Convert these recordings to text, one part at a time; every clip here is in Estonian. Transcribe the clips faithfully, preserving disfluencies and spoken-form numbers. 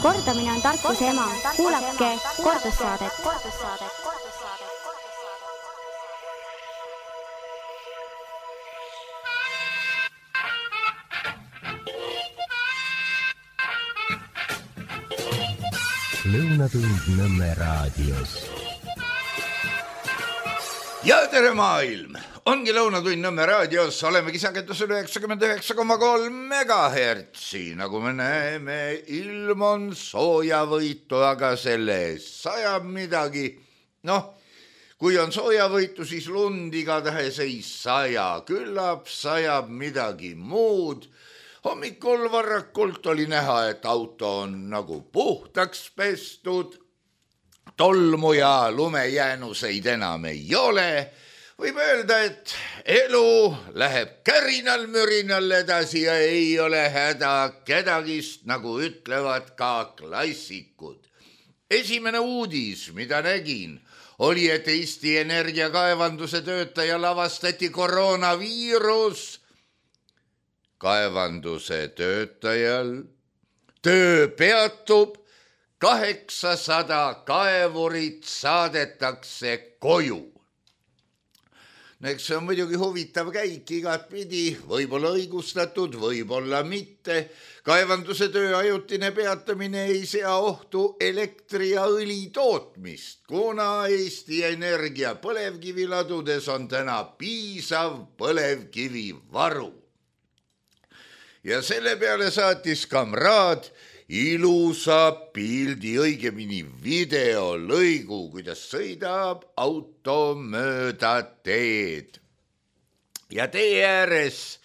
Kordamine on tarkuse ema. Kuulake kordussaadet. Lõunatund Nõmme raadios. Ja tere maailm! Ongi Lõunatund Nõmme raadios, olemegi sagedusel üheksakümmend üheksa koma kolm megahertsi. Nagu me näeme, ilm on soojavõitu, aga selle sajab midagi. Noh, kui on soojavõitu, siis lund igatahes ei saja. Küllap sajab midagi muud. Hommikul varrakult oli näha, et auto on nagu puhtaks pestud. Tolmu ja lumejäänuseid enam ei ole. Võib öelda, et elu läheb kärinal-mürinal edasi ja ei ole häda kedagist, nagu ütlevad ka klassikud. Esimene uudis, mida nägin, oli, et Eesti Energia kaevanduse töötajal avastati koroonaviirus. Kaevanduse töötajal töö peatub, kaheksasada kaevurit saadetakse koju. Eks see on muidugi huvitav käik igat pidi, võib-olla õigustatud, võib-olla mitte. Kaevanduse töö ajutine peatamine ei sea ohtu elektri ja õli tootmist, kuna Eesti Energia põlevkiviladudes on täna piisav põlevkivivaru. Ja selle peale saatis kamraad ilusa pildi, õigemini videolõigu, kuidas sõidab auto mööda teed. Ja tee ääres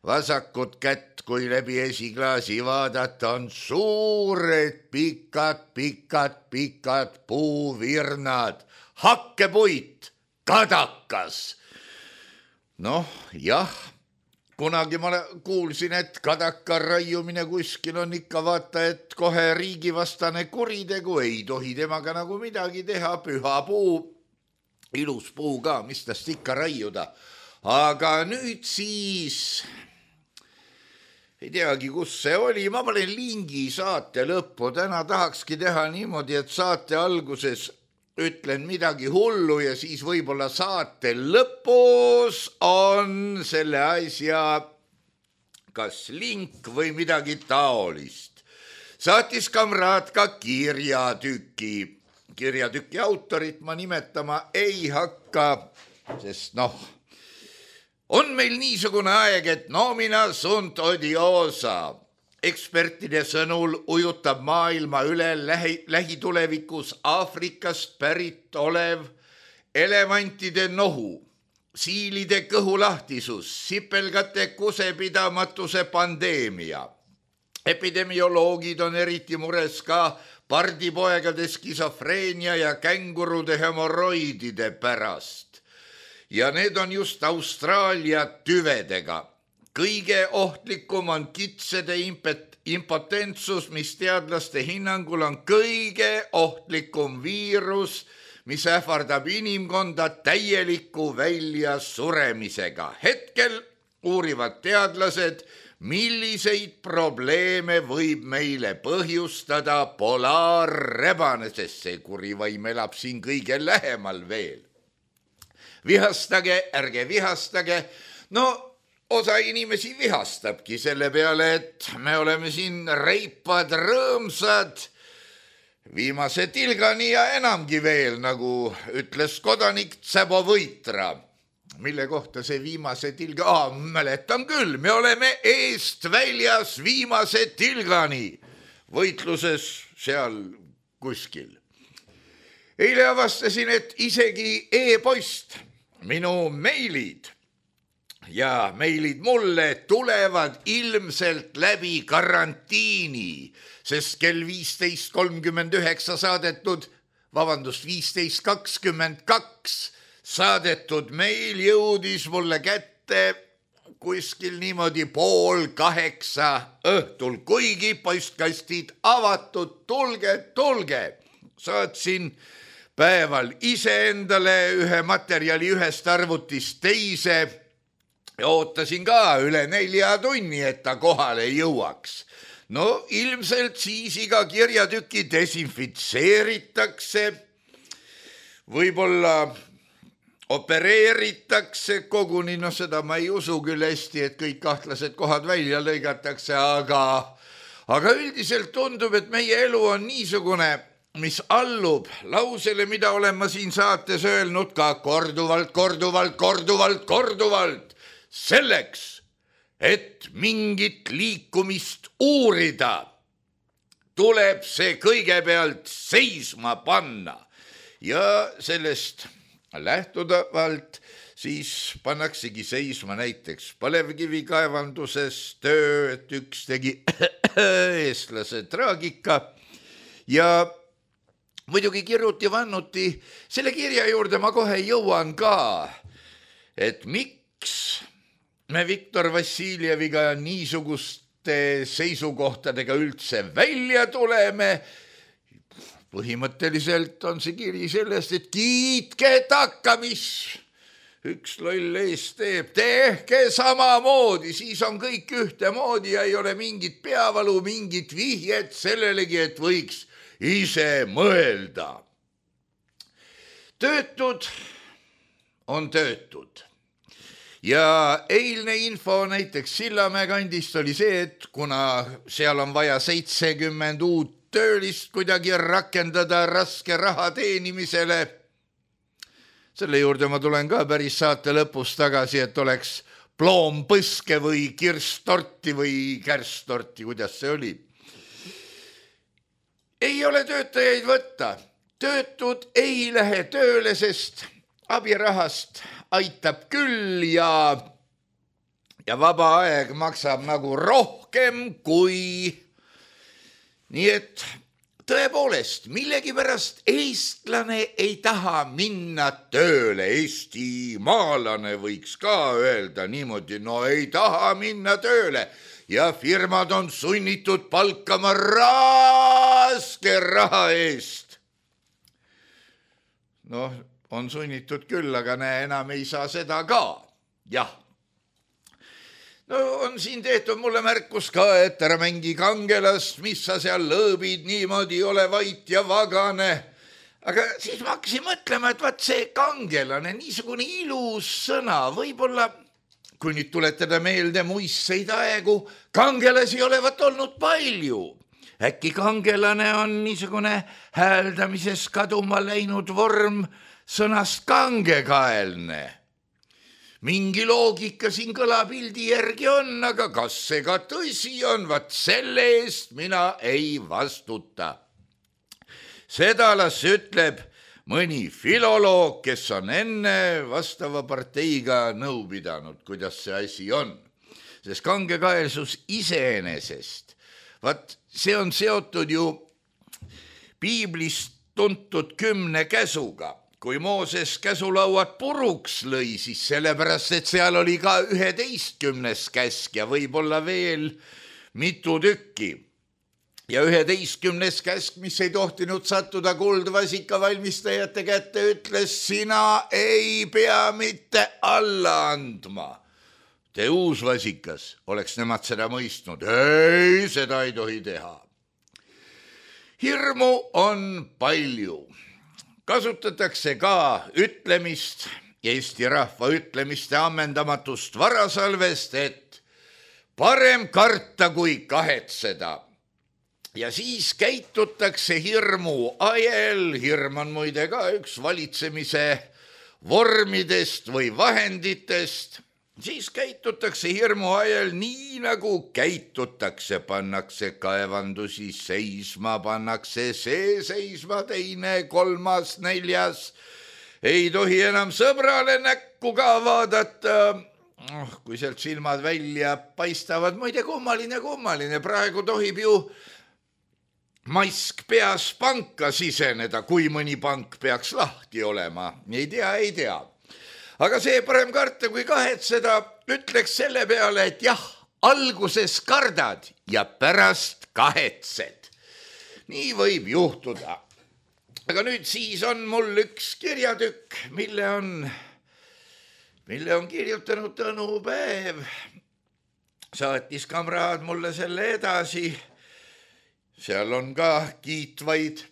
vasakut kätt, kui läbi esiklaasi vaadata, on suured pikad, pikad, pikad puuvirnad, hakkepuit, kadakas. Noh, jah. Kunagi ma kuulsin, et kadaka raiumine kuskil on ikka vaata, et kohe riigivastane kuritegu, ei tohi temaga nagu midagi teha, püha puu, ilus puu ka, mis tast ikka raiuda. Aga nüüd siis, ei teagi, kus see oli, ma panen lingi saate lõppu, täna tahakski teha niimoodi, et saate alguses ütlen midagi hullu ja siis võib-olla saate lõpus on selle asja kas link või midagi taolist. Saatis kamraad ka kirjatüki. Kirjatüki autorit ma nimetama ei hakka, sest noh, on meil niisugune aeg, et nomina sunt odiosa. Ekspertide sõnul ujutab maailma üle lähi, lähitulevikus Aafrikast pärit olev elevantide nohu, siilide kõhulahtisus, sipelgate kusepidamatuse pandeemia. Epidemioloogid on eriti mures ka pardipoegade skisofreenia ja kängurude hemoroidide pärast. Ja need on just Austraalia tüvedega. Kõige ohtlikum on kitsede impotentsus, mis teadlaste hinnangul on kõige ohtlikum viirus, mis ähvardab inimkonda täieliku välja suremisega. Hetkel uurivad teadlased, milliseid probleeme võib meile põhjustada polaarrebane, sest see kurivaim elab siin kõige lähemal veel. Vihastage, ärge vihastage, no osa inimesi vihastabki selle peale, et me oleme siin reipad, rõõmsad, viimase tilgani ja enamgi veel, nagu ütles kodanik Tsebo Võitra. Mille kohta see viimase tilga? Ah, mäletan küll, me oleme eest väljas viimase tilgani võitluses seal kuskil. Eile avastasin, et isegi e-post, minu meilid, ja meilid mulle tulevad ilmselt läbi karantiini, sest kell viisteist kolmkümmend üheksa saadetud, vabandust, viisteist kakskümmend kaks saadetud meil jõudis mulle kätte kuskil niimoodi pool kaheksa õhtul, kuigi postkastid avatud, tulge, tulge. Saatsin päeval iseendale ühe materjali ühest arvutist teise ja ootasin ka üle nelja tunni, et ta kohale jõuaks. no ilmselt siis iga kirjatüki desinfitseeritakse, võib-olla opereeritakse koguni, no seda ma ei usu küll hästi, et kõik kahtlased kohad välja lõigatakse, aga, aga üldiselt tundub, et meie elu on niisugune, mis allub lausele, mida olen ma siin saates öelnud ka korduvalt, korduvalt, korduvalt, korduvalt, selleks, et mingit liikumist uurida, tuleb see kõigepealt seisma panna ja sellest lähtuvalt siis pannaksegi seisma näiteks põlevkivikaevanduses töö, et üks tegi eestlase traagika ja muidugi kirjuti vannuti, selle kirja juurde ma kohe jõuan ka, et miks me Viktor Vassiljeviga niisuguste seisukohtadega üldse välja tuleme. Põhimõtteliselt on see kiri sellest, et kiitke takka, mis üks loll ees teeb, tehke samamoodi, siis on kõik ühtemoodi ja ei ole mingit peavalu, mingit vihjet sellelegi, et võiks ise mõelda. Töötud on töötud. Ja eilne info näiteks Sillamäe kandist oli see, et kuna seal on vaja seitsekümmend uut töölist kuidagi rakendada raske raha teenimisele. Selle juurde ma tulen ka päris saate lõpus tagasi, et oleks ploompõske või kirstorti või kärstorti, kuidas see oli. Ei ole töötajaid võtta. Töötud ei lähe tööle, sest abirahast aitab küll ja, ja vaba aeg maksab nagu rohkem kui... Nii et tõepoolest, millegipärast eestlane ei taha minna tööle, eestimaalane võiks ka öelda niimoodi, no ei taha minna tööle ja firmad on sunnitud palkama raske raha eest. Noh, on sunnitud küll, aga näe, enam ei saa seda ka, jah. No on siin tehtud mulle märkus ka, et ära mängi kangelast, mis sa seal lõõbid, niimoodi ole vait ja vagane. Aga siis ma hakkasin mõtlema, et vaat see kangelane, niisugune ilus sõna, võib-olla, kui nüüd tuletada meelde muistseid aegu, kangelasi olevat olnud palju. Äkki kangelane on niisugune hääldamises kaduma läinud vorm sõnast kangekaelne. Mingi loogika siin kõlapildi järgi on, aga kas see ka tõsi on, vaat selle eest mina ei vastuta. Seda las ütleb mõni filoloog, kes on enne vastava parteiga nõu pidanud, kuidas see asi on. Sest kangekaelsus iseenesest, vaat see on seotud ju piiblist tuntud kümne käsuga. Kui Mooses käsulauad puruks lõi, siis sellepärast, et seal oli ka üheteistkümnes käsk ja võib-olla veel mitu tükki. Ja üheteistkümnes käsk, mis ei tohtinud sattuda kuldvasika valmistajate kätte, ütles, sina ei pea mitte alla andma. Te uusvasikas, oleks nemad seda mõistnud. Ei, seda ei tohi teha. Hirmu on palju. Kasutatakse ka ütlemist, Eesti rahva ütlemiste ammendamatust varasalvest, et parem karta kui kahetseda. Ja siis käitutakse hirmu ajel, hirm on muide ka üks valitsemise vormidest või vahenditest, siis käitutakse hirmu ajel nii nagu käitutakse, pannakse kaevandusi seisma, pannakse see seisma, teine, kolmas, neljas. Ei tohi enam sõbrale näkku ka vaadata, oh, kui sealt silmad välja paistavad. Muide, kummaline, kummaline, praegu tohib ju mask peas panka siseneda, kui mõni pank peaks lahti olema. Ei tea, ei tea. Aga see parem karta kui kahetseda, ütleks selle peale, et jah, alguses kardad ja pärast kahetsed. Nii võib juhtuda. Aga nüüd siis on mul üks kirjatükk, mille on, mille on kirjutanud Tõnu Päev. Saatis kamraad mulle selle edasi seal on ka kiitvaid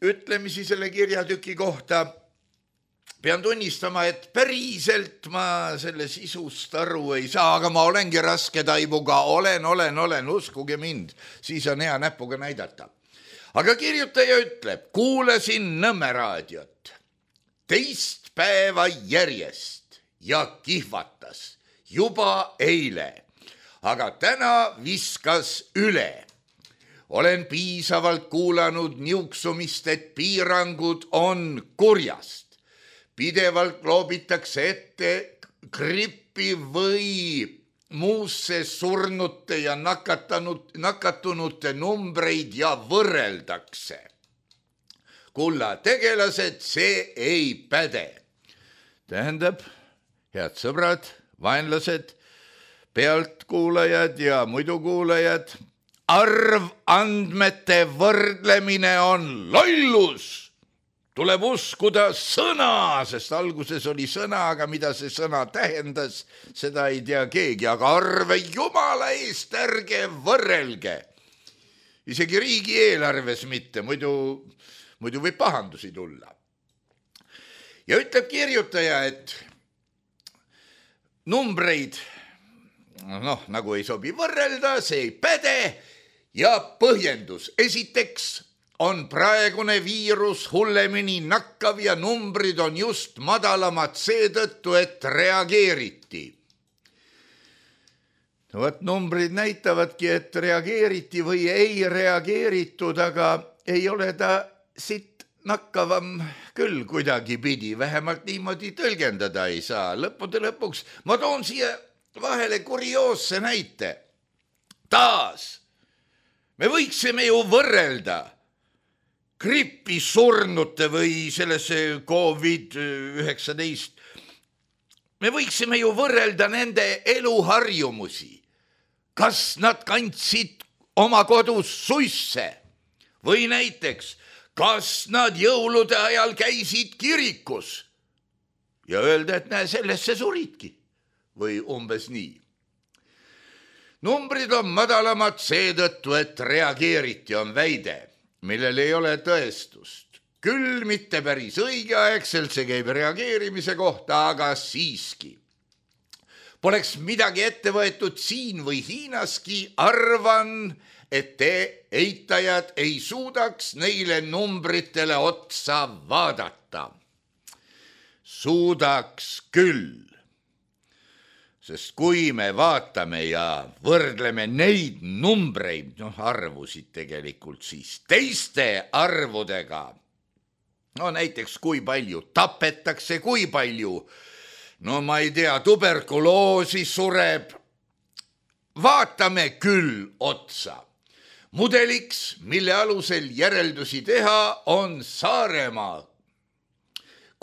ütlemisi selle kirjatüki kohta. Pean tunnistama, et päriselt ma selle sisust aru ei saa, aga ma olengi raske taibuga, olen, olen, olen, uskuge mind, siis on hea näpuga näidata. Aga kirjutaja ütleb, kuulasin Nõmme raadiot teist päeva järjest ja kihvatas juba eile, aga täna viskas üle. Olen piisavalt kuulanud niuksumist, et piirangud on kurjast. Pidevalt loobitakse ette grippi või muusse surnute ja nakatanud, nakatunute numbreid ja võrreldakse. Kulla tegelased, see ei päde. Tähendab, head sõbrad, vaenlased, pealtkuulajad ja muidu kuulajad, arvandmete võrdlemine on lollus. Tuleb uskuda sõna, sest alguses oli sõna, aga mida see sõna tähendas, seda ei tea keegi, aga arve jumala eest ärge võrrelge. Isegi riigi eelarves mitte, muidu, muidu võib pahandusi tulla. Ja ütleb kirjutaja, et numbreid, noh, nagu ei sobi võrrelda, see ei päde ja põhjendus. Esiteks on praegune viirus hullemini nakkav ja numbrid on just madalamad seetõttu, et reageeriti. No, võt, numbrid näitavadki, et reageeriti või ei reageeritud, aga ei ole ta siit nakkavam küll kuidagi pidi, vähemalt niimoodi tõlgendada ei saa. Lõppude lõpuks ma toon siia vahele kurioosse näite. Taas, me võiksime ju võrrelda grippi surnute või sellesse covid üheksateist. Me võiksime ju võrrelda nende eluharjumusi. Kas nad kandsid oma kodus suisse või näiteks, kas nad jõulude ajal käisid kirikus ja öelda, et näe, sellesse suridki või umbes nii. Numbrid on madalamad seetõttu, et reageeriti, on väide, millel ei ole tõestust. Küll mitte päris õigeaegselt, see käib reageerimise kohta, aga siiski. Poleks midagi ette võetud siin või Hiinaski, arvan, et te eitajad ei suudaks neile numbritele otsa vaadata. Suudaks küll. Sest kui me vaatame ja võrdleme neid numbreid, noh arvusid tegelikult siis teiste arvudega, no näiteks kui palju tapetakse, kui palju, no ma ei tea, tuberkuloosi sureb, vaatame küll otsa. Mudeliks, mille alusel järeldusi teha, on Saaremaa,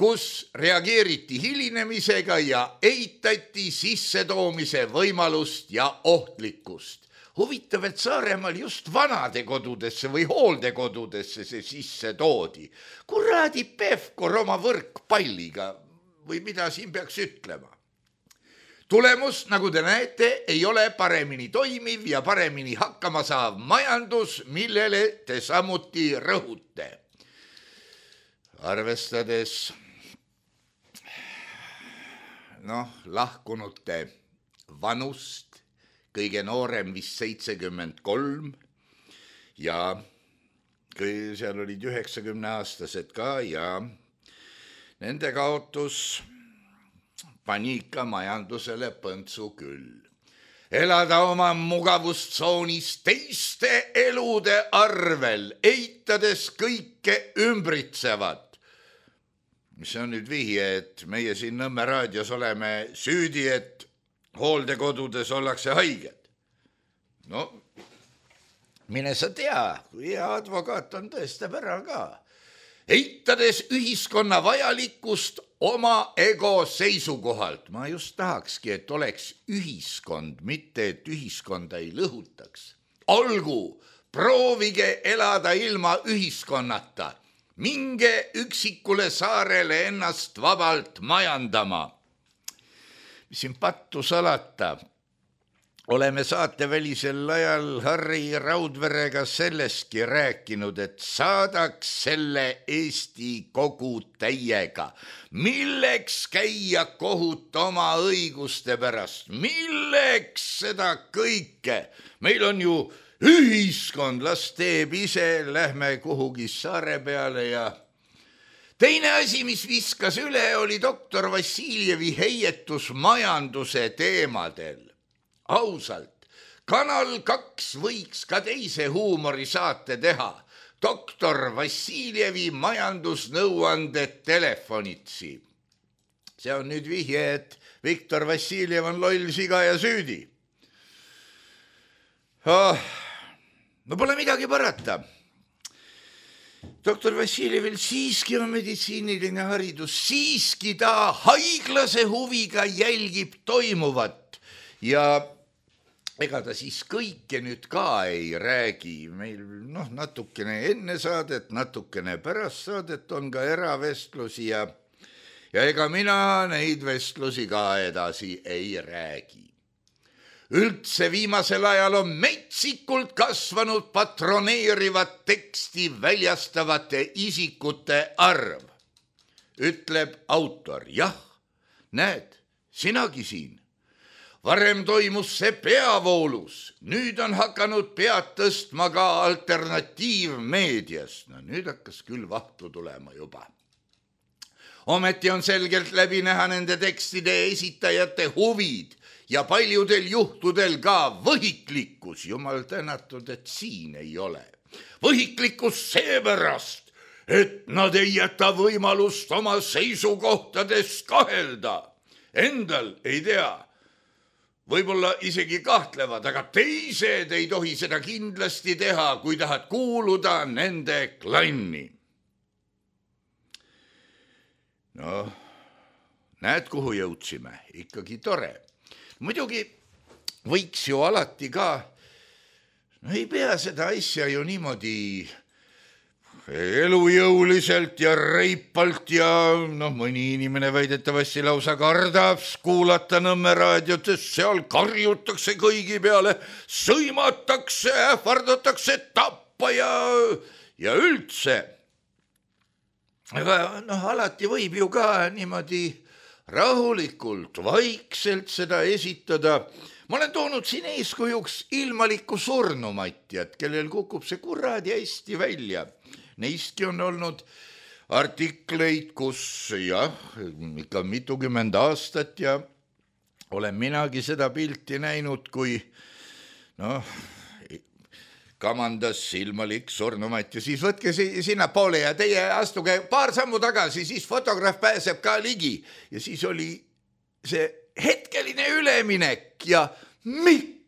kus reageeriti hilinemisega ja eitati sissetoomise võimalust ja ohtlikkust. Huvitav, et Saaremaal just vanade kodudesse või hooldekodudesse see sisse toodi. Kuradi Pevkur oma võrkpalliga või mida siin peaks ütlema. Tulemus, nagu te näete, ei ole paremini toimiv ja paremini hakkama saav majandus, millele te samuti rõhute. Arvestades noh, lahkunute vanust, kõige noorem vist seitsekümmend kolm ja seal olid üheksakümne aastased ka ja nende kaotus pani ikka majandusele põntsu küll. Elada oma mugavustsoonis teiste elude arvel, eitades kõike ümbritsevat. Mis on nüüd vihje, et meie siin Nõmme raadios oleme süüdi, et hooldekodudes ollakse haiged. No, mine sa tea, kui hea advokaat on tõestab ära ka. Eitades ühiskonna vajalikkust oma ego seisukohalt. Ma just tahakski, et oleks ühiskond, mitte et ühiskonda ei lõhutaks. Olgu, proovige elada ilma ühiskonnata. Minge üksikule saarele ennast vabalt majandama. Mis siin pattu salata, oleme saatevälisel ajal Harri Raudverega sellestki rääkinud, et saadaks selle Eesti kogu täiega. Milleks käia kohut oma õiguste pärast? Milleks seda kõike? Meil on ju ühiskond, las teeb ise, lähme kuhugi saare peale ja teine asi, mis viskas üle, oli doktor Vassiljevi heietus majanduse teemadel. Ausalt, Kanal kaks võiks ka teise huumorisaate teha. doktor Vassiljevi majandusnõuanded telefonitsi. See on nüüd vihje, et Viktor Vassiljev on loll, siga ja süüdi. Oh, no pole midagi parata. doktor Vassiljevil siiski on meditsiiniline haridus, siiski ta haiglase huviga jälgib toimuvat ja ega ta siis kõike nüüd ka ei räägi. Meil noh, natukene enne saadet, natukene pärast saadet on ka eravestlusi ja, ja ega mina neid vestlusi ka edasi ei räägi. Üldse viimasel ajal on metsikult kasvanud patroneerivat teksti väljastavate isikute arv. Ütleb autor, jah, näed, sinagi siin. Varem toimus see peavoolus, nüüd on hakanud pead tõstma ka alternatiivmeedias. No nüüd hakkas küll vahtu tulema juba. Ometi on selgelt läbi näha nende tekstide esitajate huvid ja paljudel juhtudel ka võhiklikkus. Jumal tänatud, et siin ei ole. Võhiklikkus seepärast, et nad ei jäta võimalust oma seisukohtades kahelda. Endal ei tea. Võib-olla isegi kahtlevad, aga teised ei tohi seda kindlasti teha, kui tahad kuuluda nende klanni. No, näed, kuhu jõudsime, ikkagi tore. Muidugi võiks ju alati ka, no ei pea seda asja ju niimoodi elujõuliselt ja reipalt ja noh, mõni inimene väidetavasti lausa kardab kuulata Nõmme raadiot, sest seal karjutakse kõigi peale, sõimatakse, ähvardatakse tappa ja, ja üldse. Aga noh, alati võib ju ka niimoodi rahulikult, vaikselt seda esitada. Ma olen toonud siin eeskujuks ilmalikku surnumatjat, kellel kukub see kuradi hästi välja. Neistki on olnud artikleid, kus jah, ikka mitukümmend aastat ja olen minagi seda pilti näinud, kui noh, kamandas ilmalik surnumat ja siis võtke sinna poole ja teie astuge paar sammu tagasi, siis fotograaf pääseb ka ligi ja siis oli see hetkeline üleminek ja miks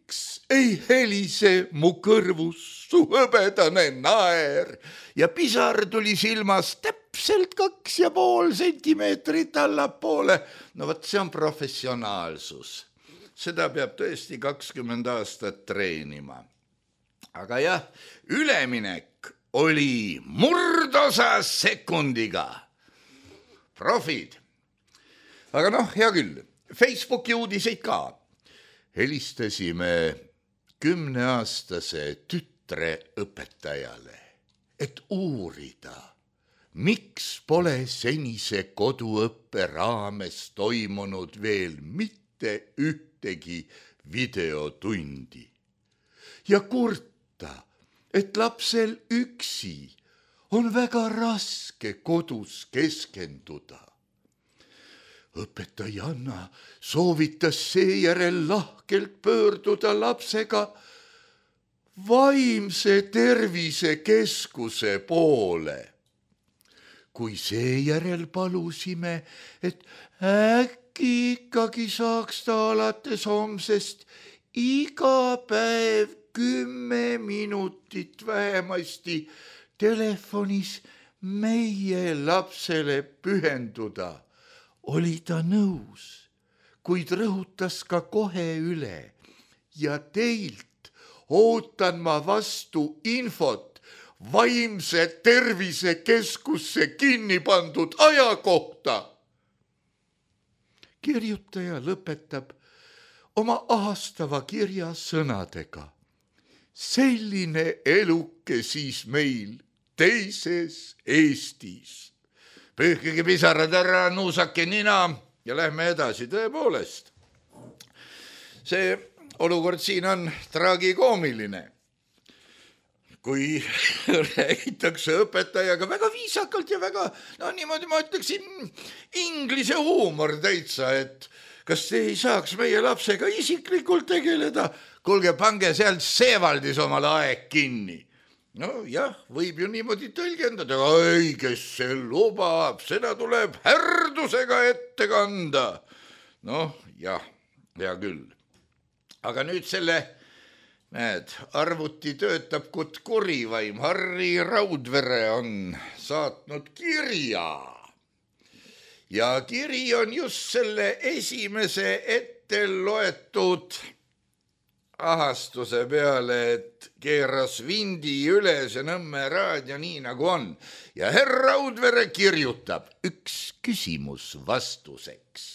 ei helise mu kõrvus su hõbedane naer ja pisar tuli silmas täpselt kaks ja pool sentimeetrit allapoole. No võt, see on professionaalsus. Seda peab tõesti kakskümmend aastat treenima. Aga jah, üleminek oli murdosa sekundiga. Profid. Aga noh, hea küll, Facebooki uudiseid ka. Helistasime kümneaastase tütre õpetajale, et uurida, miks pole senise koduõppe raames toimunud veel mitte ühtegi videotundi. Ja kurta, et lapsel üksi on väga raske kodus keskenduda. Õpetajanna soovitas seejärel lahkelt pöörduda lapsega vaimse tervise keskuse poole. Kui seejärel palusime, et äkki ikkagi saaks ta alates homsest iga päev kümme minutit vähemasti telefonis meie lapsele pühenduda, oli ta nõus, kuid rõhutas ka kohe üle ja teilt ootan ma vastu infot vaimse tervise keskusse kinni pandud aja kohta. Kirjutaja lõpetab oma ahastava kirja sõnadega. Selline eluke siis meil teises Eestis. Pühkige pisarad ära, nuusake nina ja lähme edasi, tõepoolest. See olukord siin on tragikoomiline. Kui räägitakse õpetajaga väga viisakalt ja väga, no niimoodi ma ütleksin, inglise huumor täitsa, et kas te ei saaks meie lapsega isiklikult tegeleda? Kuulge, pange sealt Seevaldis omal aeg kinni. No jah, võib ju niimoodi tõlgendada, ei, kes see lubab, seda tuleb härdusega ette kanda. Noh, jah, hea küll. Aga nüüd selle, näed, arvuti töötab kut kurivaim. Harri Raudvere on saatnud kirja. Ja kiri on just selle esimese ette loetud ahastuse peale, et keeras vindi üles ja Nõmme raadio nii nagu on. Ja herr Raudvere kirjutab üks küsimus vastuseks.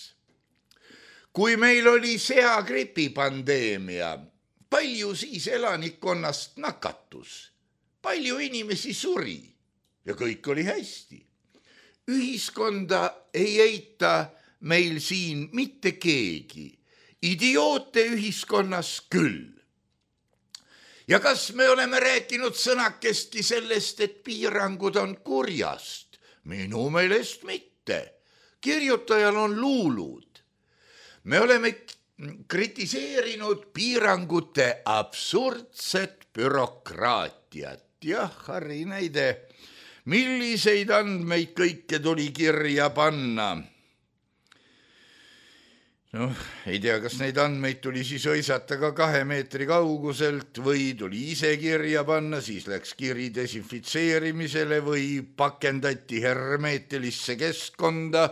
Kui meil oli seagripi pandeemia, palju siis elanikkonnast nakatus? Palju inimesi suri ja kõik oli hästi. Ühiskonda ei eita meil siin mitte keegi. Idioote ühiskonnas küll. Ja kas me oleme rääkinud sõnakestki sellest, et piirangud on kurjast? Minu meelest mitte. Kirjutajal on luulud. Me oleme kritiseerinud piirangute absurdset bürokraatiat. Jah, Harri näide, milliseid andmeid kõike tuli kirja panna. Noh, ei tea, kas neid andmeid tuli siis õisata ka kahe meetri kauguselt või tuli ise kirja panna, siis läks kiri desinfitseerimisele või pakendati hermeetilisse keskkonda,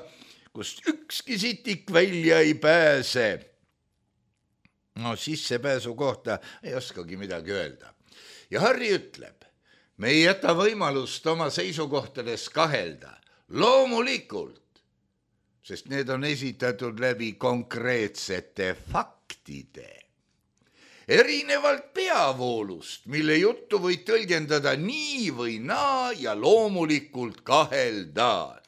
kust ükski sitik välja ei pääse. No sissepääsu kohta ei oskagi midagi öelda. Ja Harri ütleb, me ei jäta võimalust oma seisukohtades kahelda. Loomulikult, sest need on esitatud läbi konkreetsete faktide. Erinevalt peavoolust, mille juttu võid tõlgendada nii või naa ja loomulikult kahelda.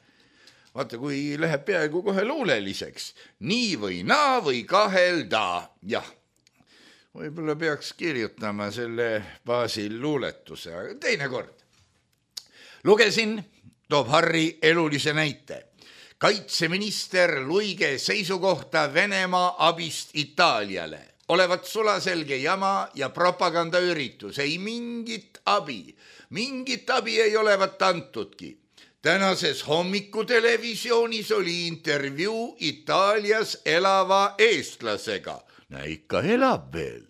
Vaata, kui läheb peaaegu kohe luuleliseks, nii või naa või kahelda. Jah, võib-olla peaks kirjutama selle baasil luuletuse, aga teine kord. Lugesin, toob Harri elulise näite. Kaitseminister Luige seisukohta Venemaa abist Itaaliale. Olevat sulaselge jama ja propagandaüritus. Ei mingit abi. Mingit abi ei olevat antudki. Tänases hommikutelevisioonis oli intervjuu Itaalias elava eestlasega. Näe, ikka elab veel.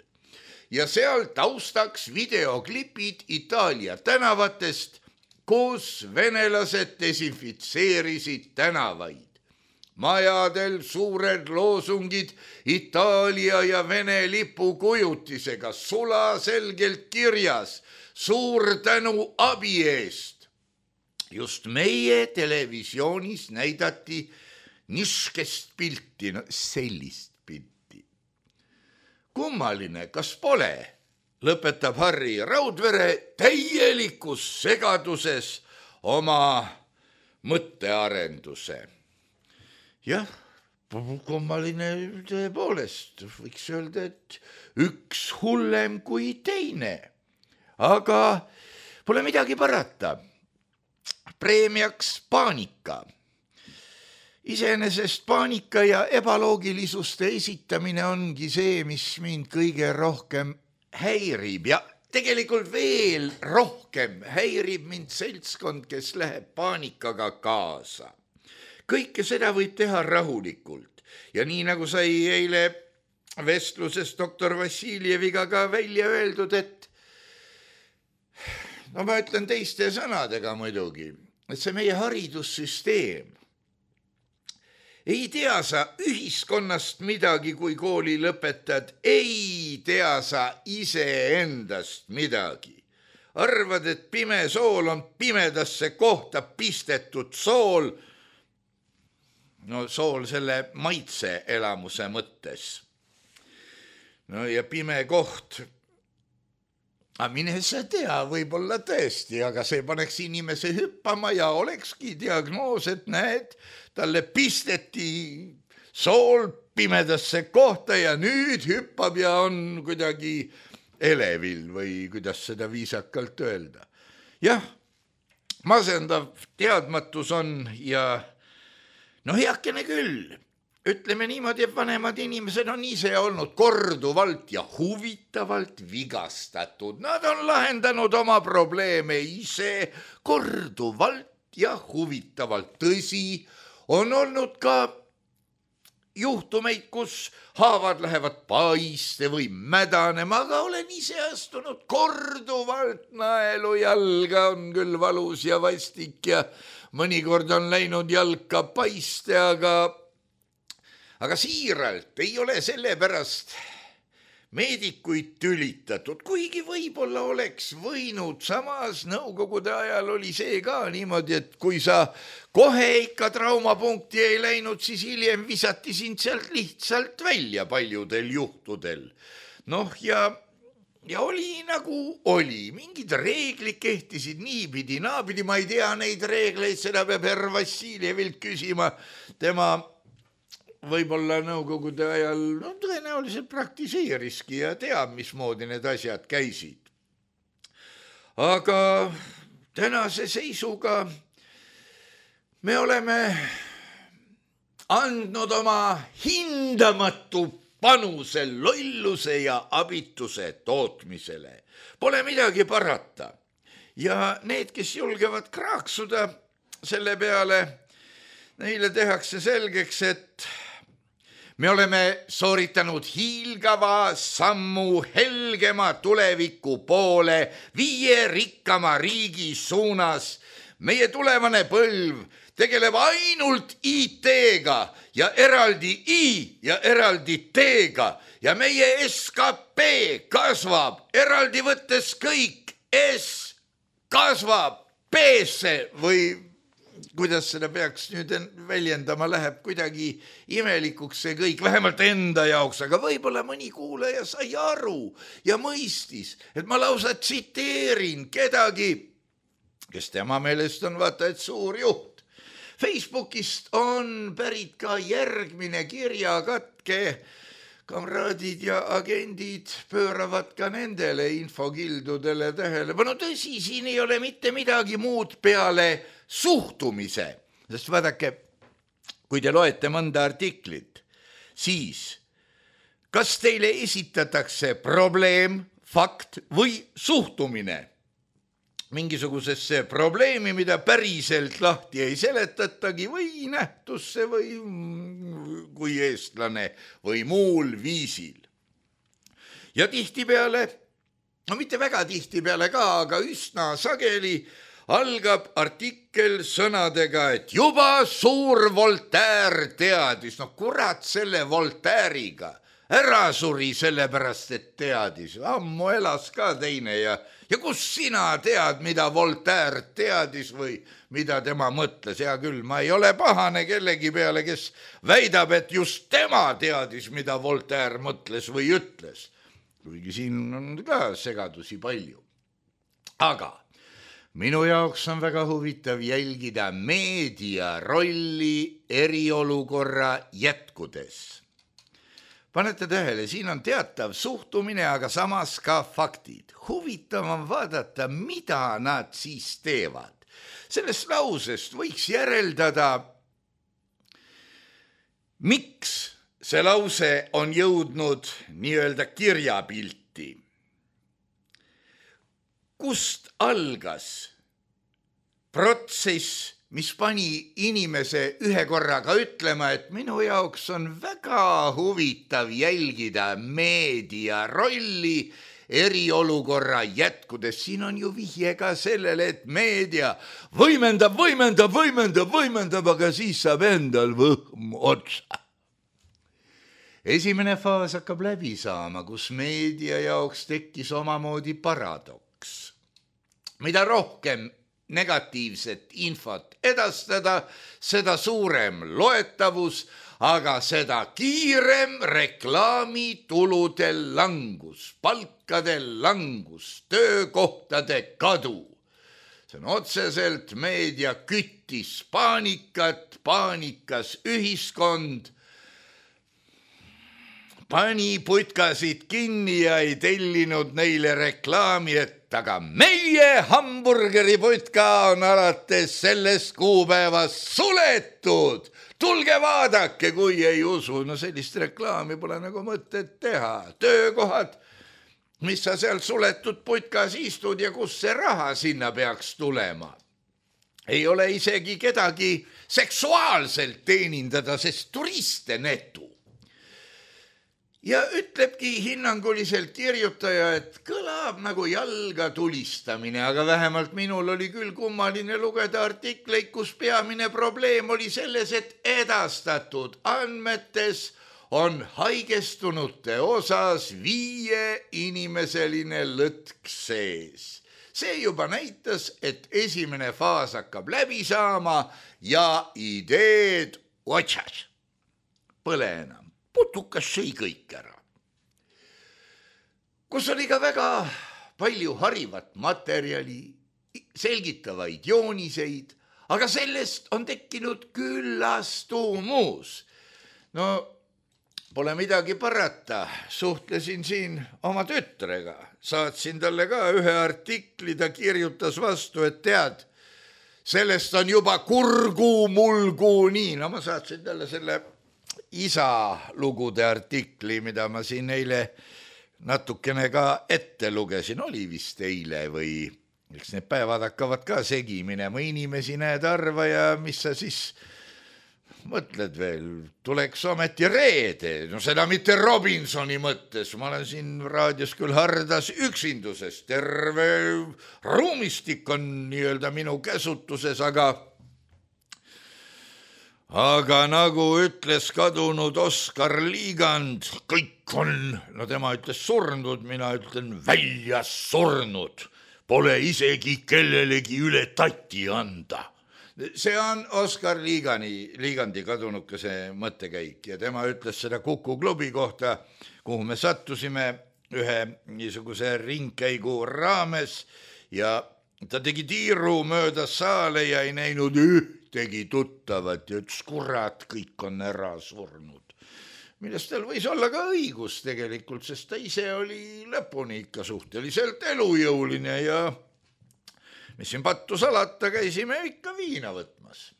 Ja seal taustaks videoklipid Itaalia tänavatest, kus venelased desinfitseerisid tänavaid. Majadel suured loosungid Itaalia ja Vene lipu kujutisega sulaselgelt kirjas. Suur tänu abi eest. Just meie televisioonis näidati niskest pilti, no sellist pilti. Kummaline, kas pole? Lõpetab Harri Raudvere täielikus segaduses oma mõttearenduse. Jah, kummaline tõepoolest, võiks öelda, et üks hullem kui teine. Aga pole midagi parata. Preemiaks paanika. Iseenesest paanika ja ebaloogilisuste esitamine ongi see, mis mind kõige rohkem häirib ja tegelikult veel rohkem häirib mind seltskond, kes läheb paanikaga kaasa. Kõike seda võib teha rahulikult ja nii nagu sai eile vestluses doktor Vassiljeviga ka välja öeldud, et no ma ütlen teiste sõnadega muidugi, et see meie haridussüsteem ei tea sa ühiskonnast midagi, kui kooli lõpetad, ei tea sa iseendast midagi. Arvad, et pime sool on pimedasse kohta pistetud sool, no sool selle maitse elamuse mõttes. no ja pime koht. Aga mine sa tea, võib-olla tõesti, aga see paneks inimese hüppama ja olekski diagnoos, et näed, talle pisteti sool pimedasse kohta ja nüüd hüppab ja on kuidagi elevil või kuidas seda viisakalt öelda. Jah, masendav teadmatus on ja no heakene küll. Ütleme niimoodi, et vanemad inimesed on ise olnud korduvalt ja huvitavalt vigastatud. Nad on lahendanud oma probleeme ise korduvalt ja huvitavalt. Tõsi, on olnud ka juhtumeid, kus haavad lähevad paiste või mädanema, aga olen ise astunud korduvalt naelu jalga, on küll valus ja vastik ja mõnikord on läinud jalka paiste, aga Aga siiralt ei ole sellepärast meedikuid tülitatud, kuigi võib-olla oleks võinud, samas nõukogude ajal oli see ka niimoodi, et kui sa kohe ikka traumapunkti ei läinud, siis hiljem visati sind sealt lihtsalt välja paljudel juhtudel. Noh ja, ja oli nagu oli, mingid reeglid kehtisid niipidi, naapidi, ma ei tea neid reegleid, seda peab herr Vassiljevilt küsima, tema võib-olla nõukogude ajal no, tõenäoliselt praktiseeriski ja teab, mismoodi need asjad käisid. Aga tänase seisuga me oleme andnud oma hindamatu panuse lolluse ja abituse tootmisele. Pole midagi parata. Ja need, kes julgevad kraaksuda selle peale, neile tehakse selgeks, et me oleme sooritanud hiilgava sammu helgema tuleviku poole viie rikkama riigi suunas. Meie tulevane põlv tegeleb ainult I T-ga ja eraldi I ja eraldi T-ga ja meie S K P kasvab eraldi võttes kõik S kasvab P-sse või kuidas seda peaks nüüd väljendama, läheb kuidagi imelikuks see kõik, vähemalt enda jaoks, aga võib-olla mõni kuulaja sai aru ja mõistis, et ma lausa tsiteerin kedagi, kes tema meelest on vaata, et suur juht. Facebookist on pärit ka järgmine kirjakatke, kamraadid ja agendid pööravad ka nendele infokildudele tähelepanu. Tõsi, siin ei ole mitte midagi muud peale suhtumise, sest vaadake, kui te loete mõnda artiklit, siis kas teile esitatakse probleem, fakt või suhtumine mingisugusesse probleemi, mida päriselt lahti ei seletatagi või nähtusse või kui eestlane või muul viisil. Ja tihtipeale, no mitte väga tihtipeale ka, aga üsna sageli algab artikkel sõnadega, et juba suur Voltaire teadis. No kurat selle Voltaire'iga. Ära suri sellepärast, et teadis. Ammu elas ka teine ja, ja kus sina tead, mida Voltaire teadis või mida tema mõtles? Hea küll, ma ei ole pahane kellegi peale, kes väidab, et just tema teadis, mida Voltaire mõtles või ütles. Kuigi siin on ka segadusi palju. Aga minu jaoks on väga huvitav jälgida meedia rolli eriolukorra jätkudes. Panete tähele, siin on teatav suhtumine, aga samas ka faktid. Huvitav on vaadata, mida nad siis teevad. Sellest lausest võiks järeldada, miks see lause on jõudnud nii-öelda kirjapilti. Kust algas protsess, mis pani inimese ühe korraga ütlema, et minu jaoks on väga huvitav jälgida meedia rolli eriolukorra jätkudes. Siin on ju vihje ka sellele, et meedia võimendab, võimendab, võimendab, võimendab, aga siis saab endal võhm otsa. Esimene faas hakkab läbi saama, kus meedia jaoks tekkis omamoodi paradoks. Mida rohkem negatiivset infot edastada, seda suurem loetavus, aga seda kiirem reklaamitulude langus, palkade langus, töökohtade kadu. See on otseselt meedia küttis paanikat, paanikas ühiskond, pani putkasid kinni ja ei tellinud neile reklaami, et aga meie hamburgeriputka on alates sellest kuupäevast suletud. Tulge vaadake, kui ei usu. No sellist reklaami pole nagu mõtet teha. Töökohad, mis sa seal suletud putkas istud ja kus see raha sinna peaks tulema. Ei ole isegi kedagi seksuaalselt teenindada, sest turiste netu. Ja ütlebki hinnanguliselt kirjutaja, et kõlab nagu jalga tulistamine, aga vähemalt minul oli küll kummaline lugeda artikleid, kus peamine probleem oli selles, et edastatud andmetes on haigestunute osas viie inimeseline lõtk sees. See juba näitas, et esimene faas hakkab läbi saama ja ideed otsas. Põle enam. Putukas sõi kõik ära. Kus oli ka väga palju harivat materjali, selgitavaid jooniseid, aga sellest on tekkinud küllastumus. No, pole midagi parata. Suhtlesin siin oma tütrega. Saatsin talle ka ühe artikli, ta kirjutas vastu, et tead, sellest on juba kurgu mulgu nii. No ma saatsin talle selle isa lugude artikli, mida ma siin eile natukene ka ette lugesin, oli vist eile või eks need päevad hakkavad ka segi minema, inimesi näed arva ja mis sa siis mõtled veel, tuleks ometi reede, no seda mitte Robinsoni mõttes, ma olen siin raadios küll hardas üksinduses, terve ruumistik on nii-öelda minu käsutuses, aga Aga nagu ütles kadunud Oskar Liigand, kõik on, no tema ütles surnud, mina ütlen välja surnud, pole isegi kellelegi üle tatti anda. See on Oskar Liigani, Liigandi kadunukese mõttekäik ja tema ütles seda Kuku klubi kohta, kuhu me sattusime ühe niisuguse ringkäigu raames ja ta tegi tiiru mööda saale ja ei näinud üht. Tegi tuttavat ja ütles, kurat, kõik on ära surnud. Millest tal võis olla ka õigus tegelikult, sest ta ise oli lõpuni ikka suhteliselt elujõuline ja mis siin pattu salata, käisime ikka viina võtmas.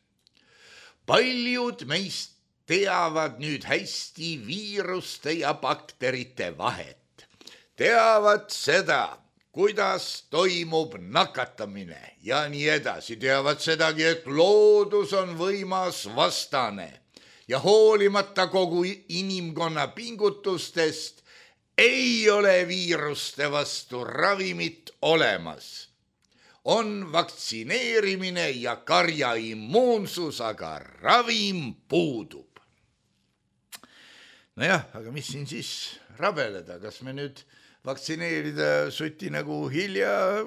Paljud meist teavad nüüd hästi viiruste ja bakterite vahet. Teavad seda, kuidas toimub nakatamine ja nii edasi. Teavad sedagi, et loodus on võimas vastane ja hoolimata kogu inimkonna pingutustest ei ole viiruste vastu ravimit olemas. On vaktsineerimine ja karja immuunsus, aga ravim puudub. Nojah, aga mis siin siis rabeleda, kas me nüüd vaktsineerida suti nagu hilja,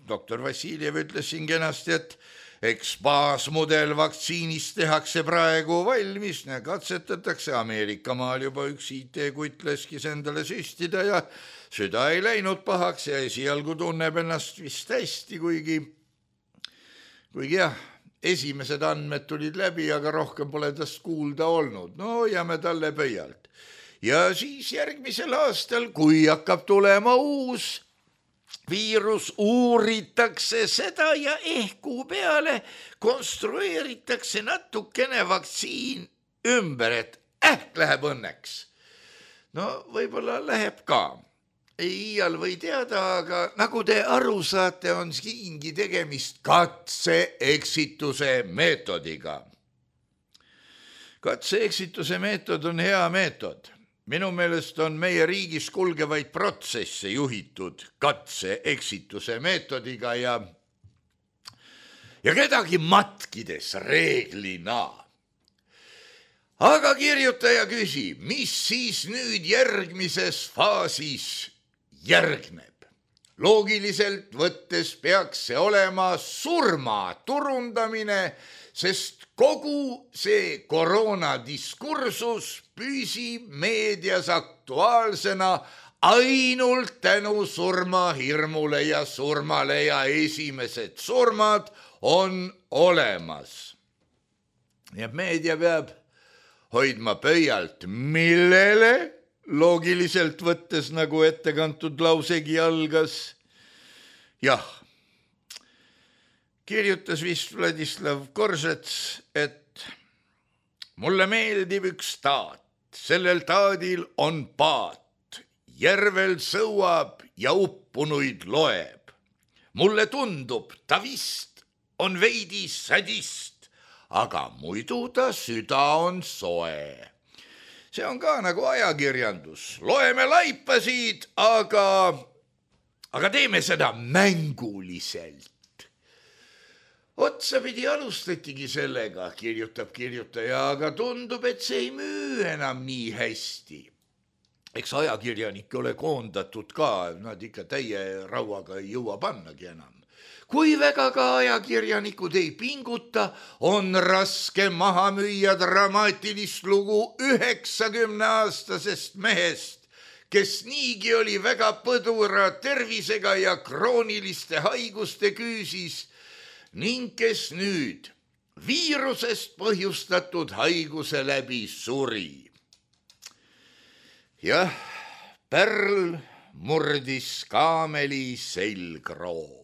doktor Vassiljev ütles siin kenasti, et eks baasmudel vaktsiinist tehakse praegu valmis, katsetatakse Ameerika maal juba üks I T-kutt leskis endale süstida ja süda ei läinud pahaks ja esialgu tunneb ennast vist hästi, kuigi, kuigi jah, esimesed andmed tulid läbi, aga rohkem pole tast kuulda olnud. No jääme talle pöialt. Ja siis järgmisel aastal, kui hakkab tulema uus viirus, uuritakse seda ja ehk kuu peale konstrueeritakse natukene vaktsiin ümber, et ähk läheb õnneks. No võib-olla läheb ka. Ei iial või teada, aga nagu te aru saate, on siingi tegemist katse-eksituse meetodiga. Katse-eksituse meetod on hea meetod. Minu meelest on meie riigis kulgevaid protsesse juhitud katse-eksituse meetodiga ja, ja kedagi matkides reeglina. Aga kirjutaja küsib, mis siis nüüd järgmises faasis järgneb? loogiliselt võttes peaks see olema surma turundamine, sest kogu see koroonadiskursus püsib meedias aktuaalsena ainult tänu surmahirmule ja surmale ja esimesed surmad on olemas. Ja meedia peab hoidma pöialt, millele loogiliselt võttes, nagu ettekantud lausegi algas. Jah, kirjutas vist Vladislav Koržets, et mulle meeldib üks taat, sellel taadil on paat, järvel sõuab ja uppunuid loeb. Mulle tundub, ta vist on veidi sadist, aga muidu ta süda on soe. See on ka nagu ajakirjandus. Loeme laipasid, aga, aga teeme seda mänguliselt. Otsapidi alustatigi sellega, kirjutab kirjutaja, aga tundub, et see ei müü enam nii hästi. Eks ajakirjanik ole koondatud ka, nad ikka täie rauaga ei jõua pannagi enam. Kui väga ka ajakirjanikud ei pinguta, on raske maha müüa dramaatilist lugu üheksakümne aastasest mehest, kes niigi oli väga põdura tervisega ja krooniliste haiguste küüsis ning kes nüüd viirusest põhjustatud haiguse läbi suri. Jah, pärl murdis kaameli selgroo.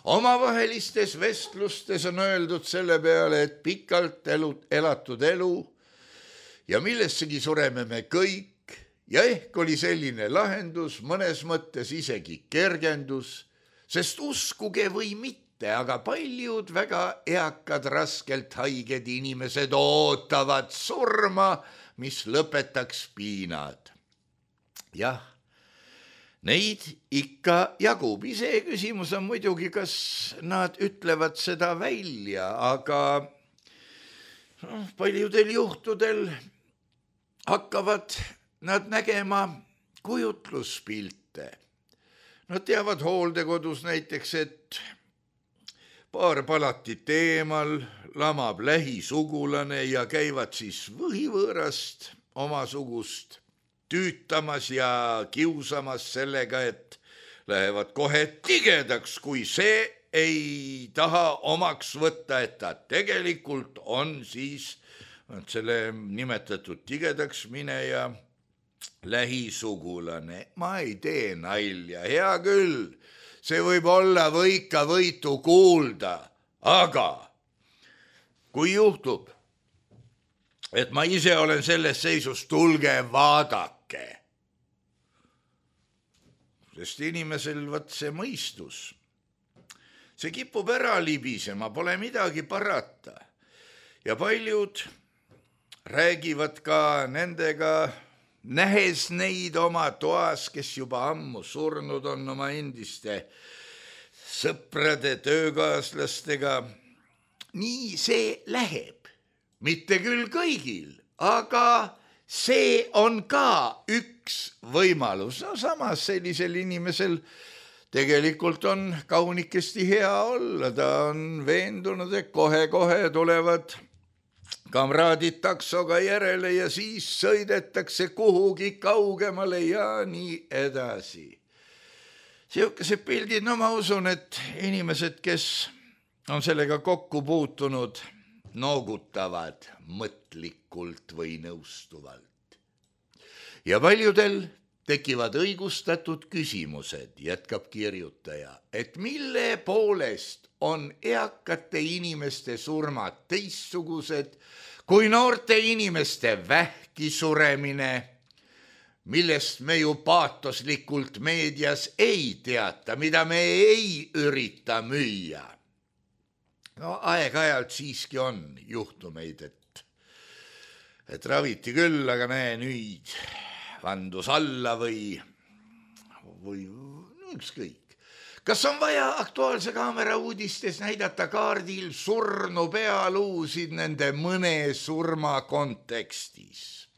Omavahelistes vestlustes on öeldud selle peale, et pikalt elu, elatud elu ja millessegi sureme me kõik ja ehk oli selline lahendus mõnes mõttes isegi kergendus, sest uskuge või mitte, aga paljud väga eakad, raskelt haiged inimesed ootavad surma, mis lõpetaks piinad. Jah, neid ikka jagub. Ise küsimus on muidugi, kas nad ütlevad seda välja, aga no, paljudel juhtudel hakkavad nad nägema kujutluspilte. Nad teavad hooldekodus näiteks, et paar palatit eemal lamab lähisugulane ja käivad siis võhivõõrast omasugust tüütamas ja kiusamas sellega, et lähevad kohe tigedaks, kui see ei taha omaks võtta, et ta tegelikult on siis selle nimetatud tigedaks mineja lähisugulane. Ma ei tee nalja, hea küll, see võib olla võika võitu kuulda, aga kui juhtub, et ma ise olen selles seisus, tulge vaadake. Sest inimesel võt see mõistus, see kipub ära libisema, pole midagi parata. Ja paljud räägivad ka nendega, nähes neid oma toas, kes juba ammu surnud on oma endiste sõprade, töökaaslastega. Nii see läheb, mitte küll kõigil, aga see on ka üks võimalus. No samas sellisel inimesel tegelikult on kaunikesti hea olla. Ta on veendunud, et kohe-kohe tulevad kamraadid taksoga järele ja siis sõidetakse kuhugi kaugemale ja nii edasi. Siukesed pildid, no ma usun, et inimesed, kes on sellega kokku puutunud, noogutavad mõtlikult või nõustuvalt. Ja paljudel tekivad õigustatud küsimused, jätkab kirjutaja, et mille poolest on eakate inimeste surmad teistsugused kui noorte inimeste vähki suremine, millest me ju paatoslikult meedias ei teata, mida me ei ürita müüa. No aeg-ajalt siiski on juhtumeid, et, et raviti küll, aga näe nüüd vandus alla või, või ükskõik. Kas on vaja Aktuaalse Kaamera uudistes näidata kaardil surnu pealuusid nende mõne surma kontekstis?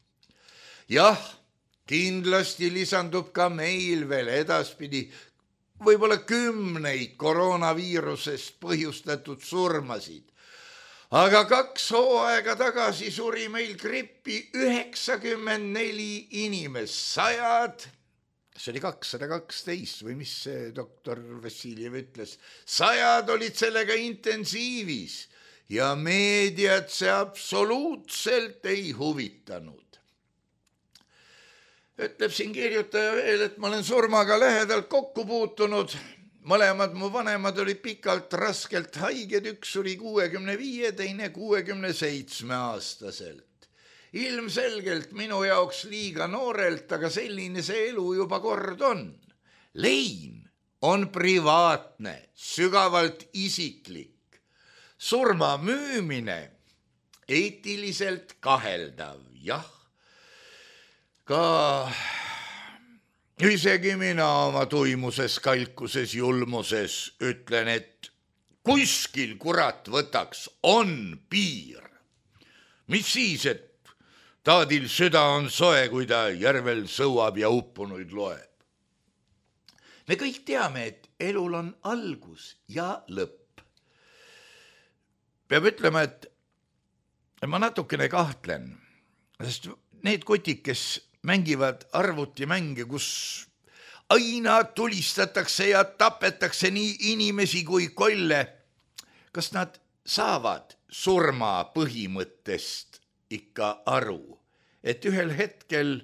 Jah, kindlasti lisandub ka meil veel edaspidi võib-olla kümneid koroonaviirusest põhjustatud surmasid. Aga kaks hooaega tagasi suri meil grippi üheksakümmend neli inimest, sajad, see oli kakssada kaksteist või mis see doktor Vassiljev ütles, sajad olid sellega intensiivis ja meediat see absoluutselt ei huvitanud. Ütleb siin kirjutaja veel, et ma olen surmaga lähedalt kokku puutunud. Mõlemad mu vanemad olid pikalt raskelt haiged, üks suri kuuekümne viie, teine kuuekümne seitsme aastaselt. Ilmselgelt minu jaoks liiga noorelt, aga selline see elu juba kord on. Lein on privaatne, sügavalt isiklik. Surma müümine eetiliselt kaheldav, jah. Ka isegi mina oma tuimuses, kalkuses, julmuses ütlen, et kuskil kurat võtaks on piir. Mis siis, et taadil süda on soe, kui ta järvel sõuab ja uppunuid loeb. Me kõik teame, et elul on algus ja lõpp. Peab ütlema, et ma natukene kahtlen, sest need kotid, kes mängivad arvutimänge, kus aina tulistatakse ja tapetakse nii inimesi kui kolle. Kas nad saavad surma põhimõttest ikka aru, et ühel hetkel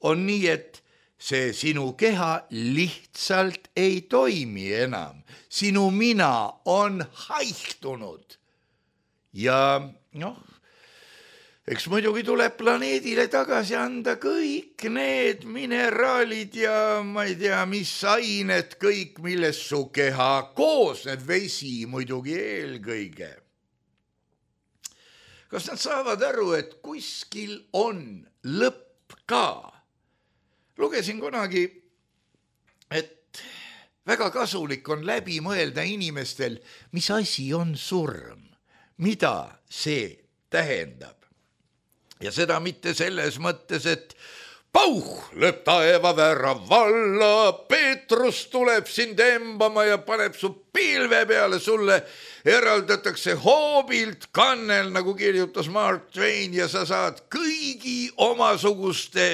on nii, et see sinu keha lihtsalt ei toimi enam. Sinu mina on haihtunud. Ja noh, eks muidugi tuleb planeedile tagasi anda kõik need mineraalid ja ma ei tea, mis ained, kõik, milles su keha koosneb, vesi muidugi eelkõige. Kas nad saavad aru, et kuskil on lõpp ka? Lugesin kunagi, et väga kasulik on läbi mõelda inimestel, mis asi on surm, mida see tähendab. Ja seda mitte selles mõttes, et pauh, lööb taeva väära valla, Peetrus tuleb sind embama ja paneb su pilve peale, sulle eraldatakse hoobilt kannel, nagu kirjutas Mark Twain, ja sa saad kõigi omasuguste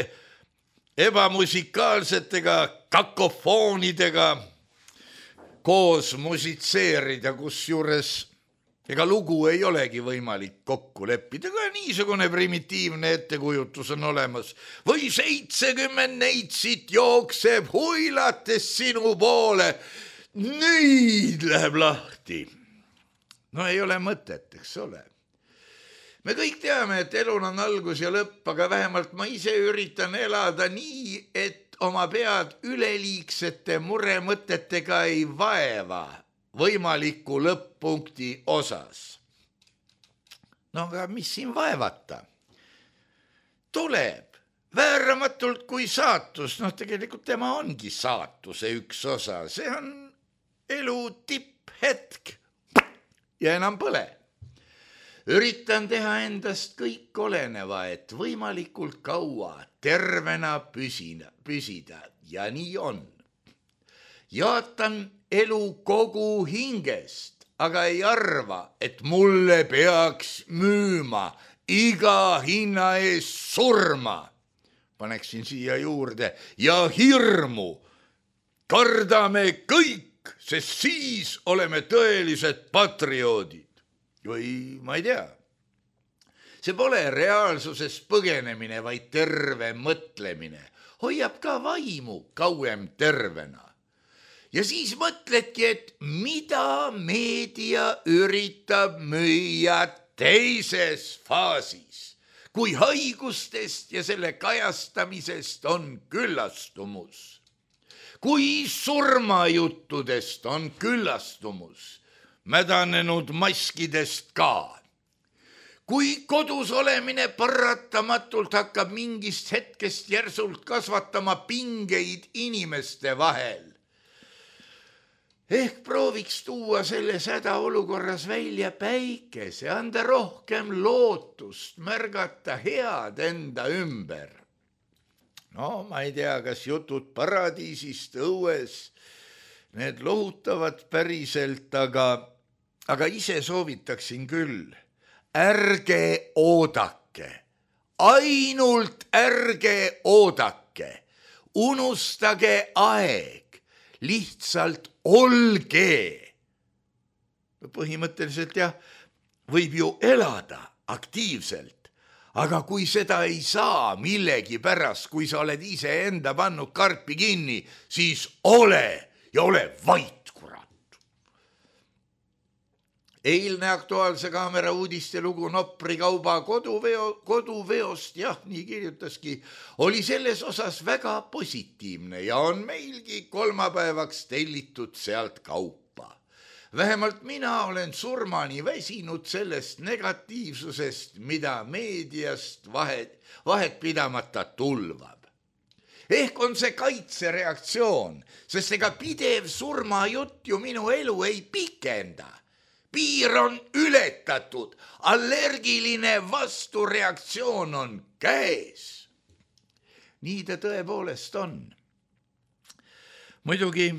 ebamusikaalsetega kakofoonidega koos musitseerida, kusjuures ega lugu ei olegi võimalik kokku leppida, ka niisugune primitiivne ettekujutus on olemas. Või seitsekümmend neitsit jookseb huilates sinu poole. Nüüd läheb lahti. No ei ole mõtet, eks ole. Me kõik teame, et elul on algus ja lõpp, aga vähemalt ma ise üritan elada nii, et oma pead üleliigsete muremõtetega ei vaeva võimaliku lõpp-punkti osas. No aga mis siin vaevata? Tuleb vääramatult kui saatus, noh tegelikult tema ongi saatuse üks osa, see on elu tipphetk ja enam põle. Üritan teha endast kõik oleneva, et võimalikult kaua tervena püsida, püsida ja nii on. Jaatan elu kogu hingest, aga ei arva, et mulle peaks müüma iga hinna ees surma. Paneksin siia juurde ja hirmu. Kardame kõik, sest siis oleme tõelised patrioodid. Või ma ei tea. See pole reaalsuses põgenemine, vaid terve mõtlemine. Hoiab ka vaimu kauem tervena. Ja siis mõtledki, et mida meedia üritab müüa teises faasis, kui haigustest ja selle kajastamisest on küllastumus, kui surmajuttudest on küllastumus, mädanenud maskidest ka, kui kodus olemine paratamatult hakkab mingist hetkest järsult kasvatama pingeid inimeste vahel. Ehk prooviks tuua selles hädaolukorras välja päikese, anda rohkem lootust, märgata head enda ümber. No ma ei tea, kas jutud paradiisist õues, need lohutavad päriselt, aga, aga ise soovitaksin küll. Ärge oodake, ainult ärge oodake, unustage aeg, lihtsalt olge. Põhimõtteliselt jah, võib ju elada aktiivselt, aga kui seda ei saa millegi pärast, kui sa oled ise enda pannud karpi kinni, siis ole ja ole vait, kurat. Eilne Aktuaalse Kaamera uudiste lugu Nopri kauba koduveo, koduveost, jah, nii kirjutaski, oli selles osas väga positiivne ja on meilgi kolmapäevaks tellitud sealt kaupa. Vähemalt mina olen surmani väsinud sellest negatiivsusest, mida meediast vahet, vahet pidamata tulvab. Ehk on see kaitsereaktsioon, sest ega pidev surmajutt ju minu elu ei pikenda. Piir on ületatud, allergiline vastureaktsioon on käes. Nii ta tõepoolest on. Muidugi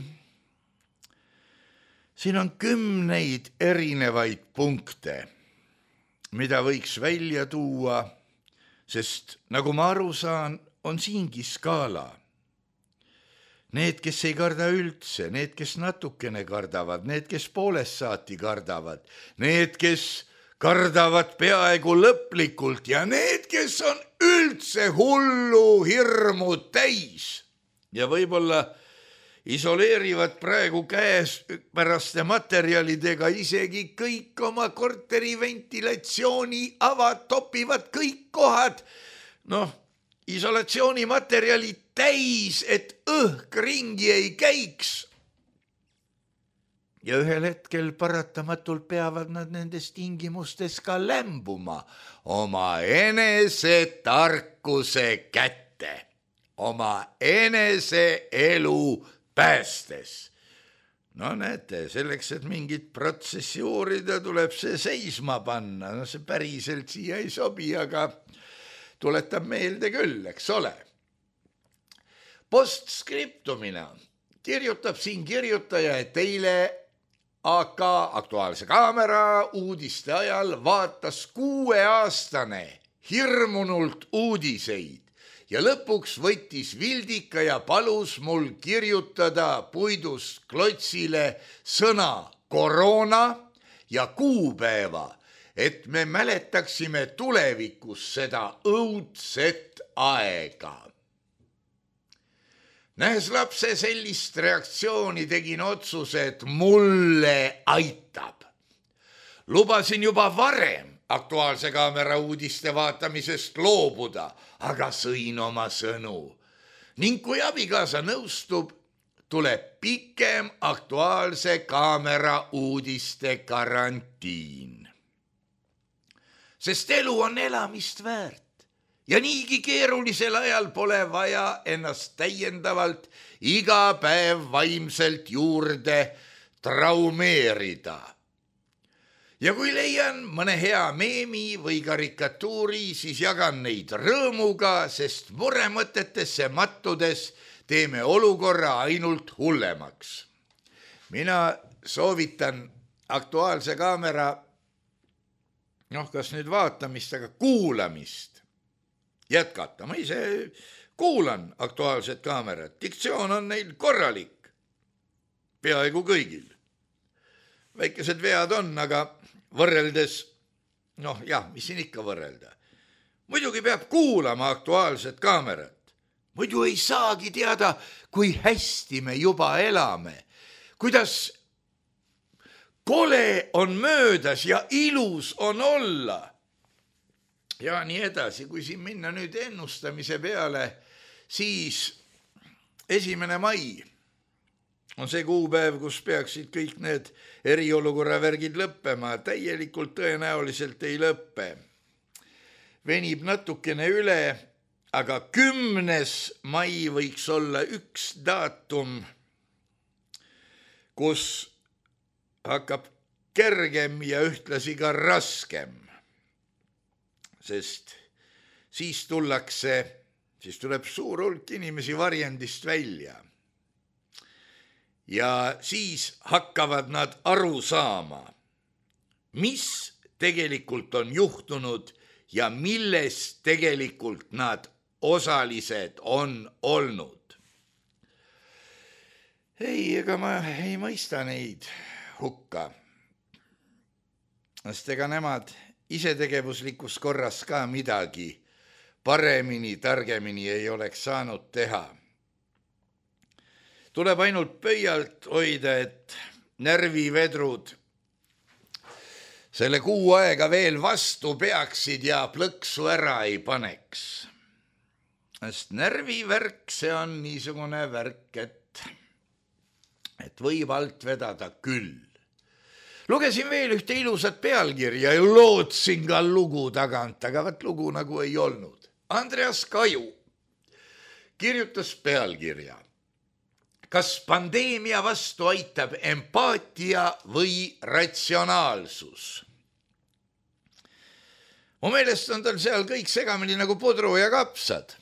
siin on kümneid erinevaid punkte, mida võiks välja tuua, sest nagu ma aru saan, on siingi skaala. Need, kes ei karda üldse, need, kes natukene kardavad, need, kes poolest saati kardavad, need, kes kardavad peaaegu lõplikult ja need, kes on üldse hullu hirmu täis ja võib-olla isoleerivad praegu käes päraste materjalidega isegi kõik oma korteri ventilatsiooni avad, topivad kõik kohad, noh, isolatsioonimaterjalid täis, et õhk ringi ei käiks. Ja ühel hetkel paratamatult peavad nad nendes tingimustes ka lämbuma oma enese tarkuse kätte, oma enese elu päästes. No näete, selleks, et mingit protsessi uurida, tuleb see seisma panna. No see päriselt siia ei sobi, aga tuletab meelde küll, eks ole. Postskriptumina kirjutab siin kirjutaja, et teile A K Aktuaalse Kaamera uudiste ajal vaatas kuueaastane hirmunult uudiseid. Ja lõpuks võttis Vildika ja palus mul kirjutada puidust klotsile sõna koroona ja kuupäeva, et me mäletaksime tulevikus seda õudset aega. Nähes lapse sellist reaktsiooni, tegin otsuse, et mulle aitab. Lubasin juba varem Aktuaalse Kaamera uudiste vaatamisest loobuda, aga sõin oma sõnu. Ning kui abikaasa nõustub, tuleb pikem Aktuaalse Kaamera uudiste karantiin. Sest elu on elamist väärt ja niigi keerulisel ajal pole vaja ennast täiendavalt iga päev vaimselt juurde traumeerida. Ja kui leian mõne hea meemi või karikatuuri, siis jagan neid rõõmuga, sest muremõtetesse mattudes teeme olukorra ainult hullemaks. Mina soovitan Aktuaalse Kaamera, noh, kas nüüd vaatamist, aga kuulamist jätkata. Ma ise kuulan Aktuaalset Kaamerat. Diktsioon on neil korralik, peaaegu kõigil. Väikesed vead on, aga võrreldes, noh jah, mis siin ikka võrrelda. Muidugi peab kuulama Aktuaalset Kaamerat. Muidu ei saagi teada, kui hästi me juba elame. Kuidas kole on möödas ja ilus on olla. Ja nii edasi, kui siin minna nüüd ennustamise peale, siis esimene mai on see kuupäev, kus peaksid kõik need eriolukorra värgid lõppema. Täielikult tõenäoliselt ei lõppe. Venib natukene üle, aga kümnes mai võiks olla üks daatum, kus hakkab kergem ja ühtlasi ka raskem. Sest siis tullakse, siis tuleb suur hulk inimesi varjendist välja. ja siis hakkavad nad aru saama, mis tegelikult on juhtunud ja milles tegelikult nad osalised on olnud. Ei, ega ma ei mõista neid hukka. Sest ega nemad isetegevuslikus korras ka midagi paremini, targemini ei oleks saanud teha. Tuleb ainult pöialt hoida, et närvivedrud selle kuu aega veel vastu peaksid ja plõksu ära ei paneks. Sest närvivärk, see on niisugune värk, et, et võib alt vedada küll. Lugesin veel ühte ilusat pealkirja ja lootsin ka lugu tagant, aga võt lugu nagu ei olnud. Andreas Kaju kirjutas pealkirja. Kas pandeemia vastu aitab empaatia või ratsionaalsus? Mu meelest on tal seal kõik segamini nagu pudru ja kapsad.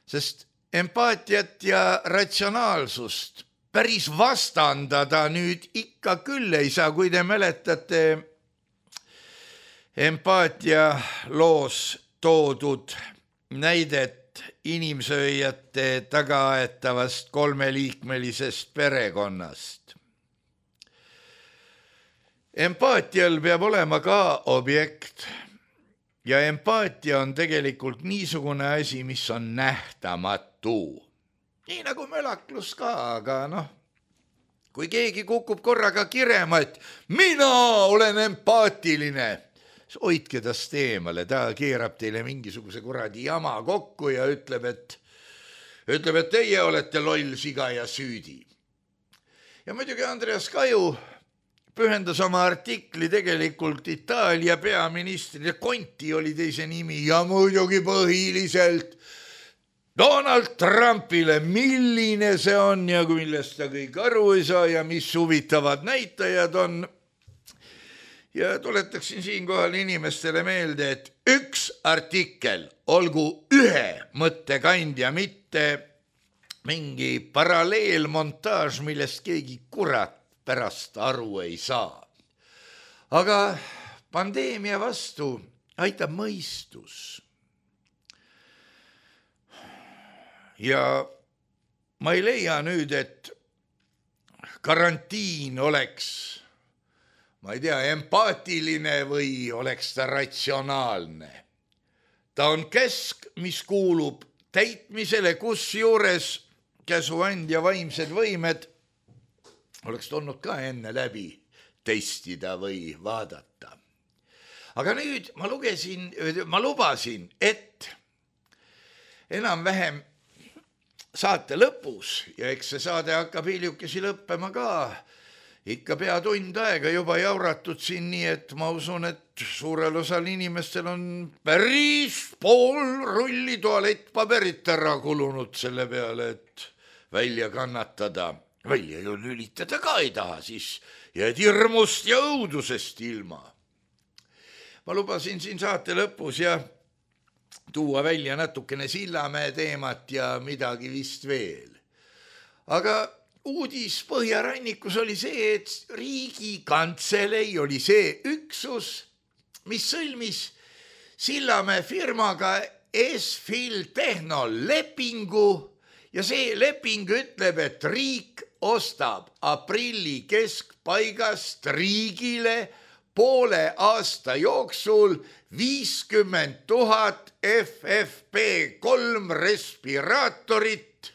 Sest empaatiat ja ratsionaalsust päris vastandada nüüd ikka küll ei saa, kui te mäletate empaatia loos toodud näidet inimsööjate tagaaetavast kolmeliikmelisest perekonnast. Empaatial peab olema ka objekt ja empaatia on tegelikult niisugune asi, mis on nähtamatu. Nii nagu mölaklus ka, aga noh, kui keegi kukub korraga kirema, et mina olen empaatiline, siis hoidke tast eemale, ta keerab teile mingisuguse kuradi jama kokku ja ütleb, et, ütleb, et teie olete loll siga ja süüdi. Ja muidugi Andreas Kaju pühendas oma artikli tegelikult Itaalia peaministrile, Conti oli teise nimi ja muidugi põhiliselt Donald Trumpile, milline see on ja millest ta kõik aru ei saa ja mis huvitavad näitajad on. Ja tuletaksin siinkohal inimestele meelde, et üks artikkel olgu ühe mõttekandja, mitte mingi paralleelmontaaž, millest keegi kurat pärast aru ei saa. Aga pandeemia vastu aitab mõistus. Ja ma ei leia nüüd, et karantiin oleks, ma ei tea, empaatiline või oleks ta ratsionaalne. Ta on käsk, mis kuulub täitmisele, kus juures käsuandja vaimsed võimed oleks tulnud ka enne läbi testida või vaadata. Aga nüüd ma lugesin, ma lubasin, et enam-vähem saate lõpus ja eks see saade hakkab hiljukesi lõppema ka. Ikka pea tund aega juba jauratud siin nii, et ma usun, et suurel osal inimestel on päris pool rulli tualettpaberit ära kulunud selle peale, et välja kannatada. Välja ju lülitada ka ei taha, siis jääd hirmust ja õudusest ilma. Ma lubasin siin saate lõpus ja tuua välja natukene Sillamäe teemat ja midagi vist veel. Aga uudis Põhjarannikus oli see, et Riigikantselei oli see üksus, mis sõlmis Sillamäe firmaga S-Fil Tehno lepingu ja see leping ütleb, et riik ostab aprilli keskpaigast riigile poole aasta jooksul viiskümmend tuhat F F P kolm respiraatorit.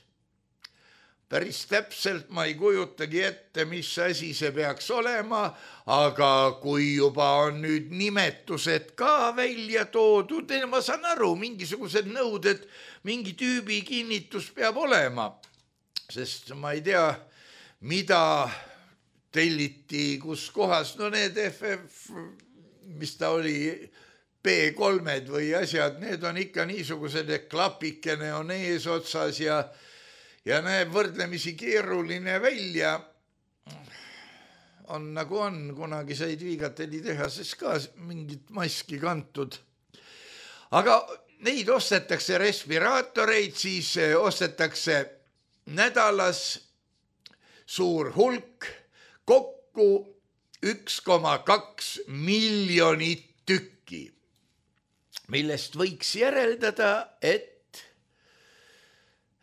Päris täpselt ma ei kujutagi ette, mis asi see peaks olema, aga kui juba on nüüd nimetused ka välja toodud, ma saan aru, mingisugused nõuded, mingi tüübi kinnitus peab olema, sest ma ei tea, mida telliti, kus kohas, no need F F, mis ta oli, P kolmed või asjad, need on ikka niisugused, et klapikene on ees otsas ja, ja näeb võrdlemisi keeruline välja. On nagu on, kunagi said Viigateli tehases ka mingit maski kantud. Aga neid ostetakse respiraatoreid, siis ostetakse nädalas suur hulk, kokku üks koma kaks miljonit tükki, millest võiks järeldada, et,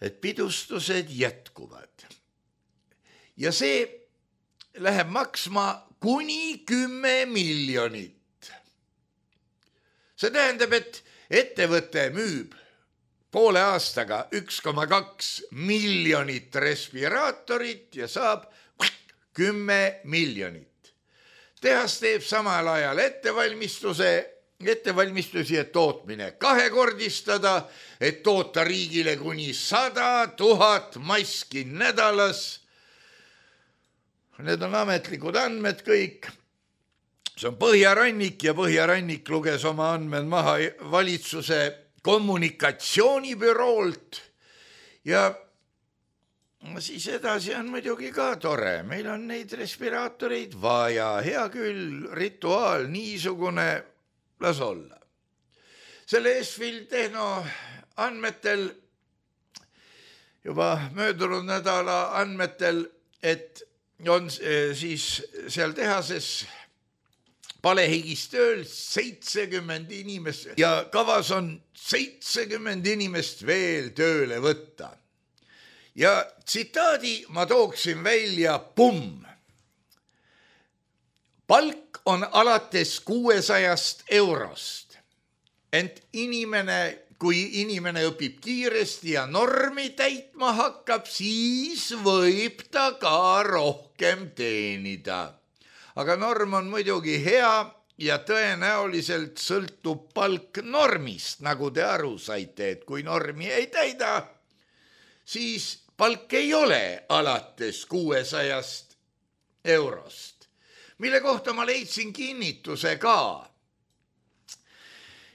et pidustused jätkuvad. Ja see läheb maksma kuni kümme miljonit. See tähendab, et ettevõte müüb poole aastaga üks koma kaks miljonit respiraatorit ja saab kümme miljonit. Tehas teeb samal ajal ettevalmistuse, ettevalmistusi, et tootmine kahekordistada, et toota riigile kuni sada tuhat maski nädalas. Need on ametlikud andmed kõik. See on Põhjarannik ja Põhjarannik luges oma andmed maha valitsuse kommunikatsioonibüroolt ja siis edasi on muidugi ka tore. Meil on neid respiraatoreid vaja, hea küll, rituaal niisugune, las olla. Selle Esfil Tehno andmetel, juba möödunud nädala andmetel, et on siis seal tehases palehigis tööl seitsekümmend inimest ja kavas on seitsekümmend inimest veel tööle võtta. Ja tsitaadi ma tooksin välja, pumm. Palk on alates kuuesajast eurost, ent inimene, kui inimene õpib kiiresti ja normi täitma hakkab, siis võib ta ka rohkem teenida. Aga norm on muidugi hea ja tõenäoliselt sõltub palk normist, nagu te aru saite, et kui normi ei täida, siis palk ei ole alates kuuesajast eurost, mille kohta ma leidsin kinnituse ka.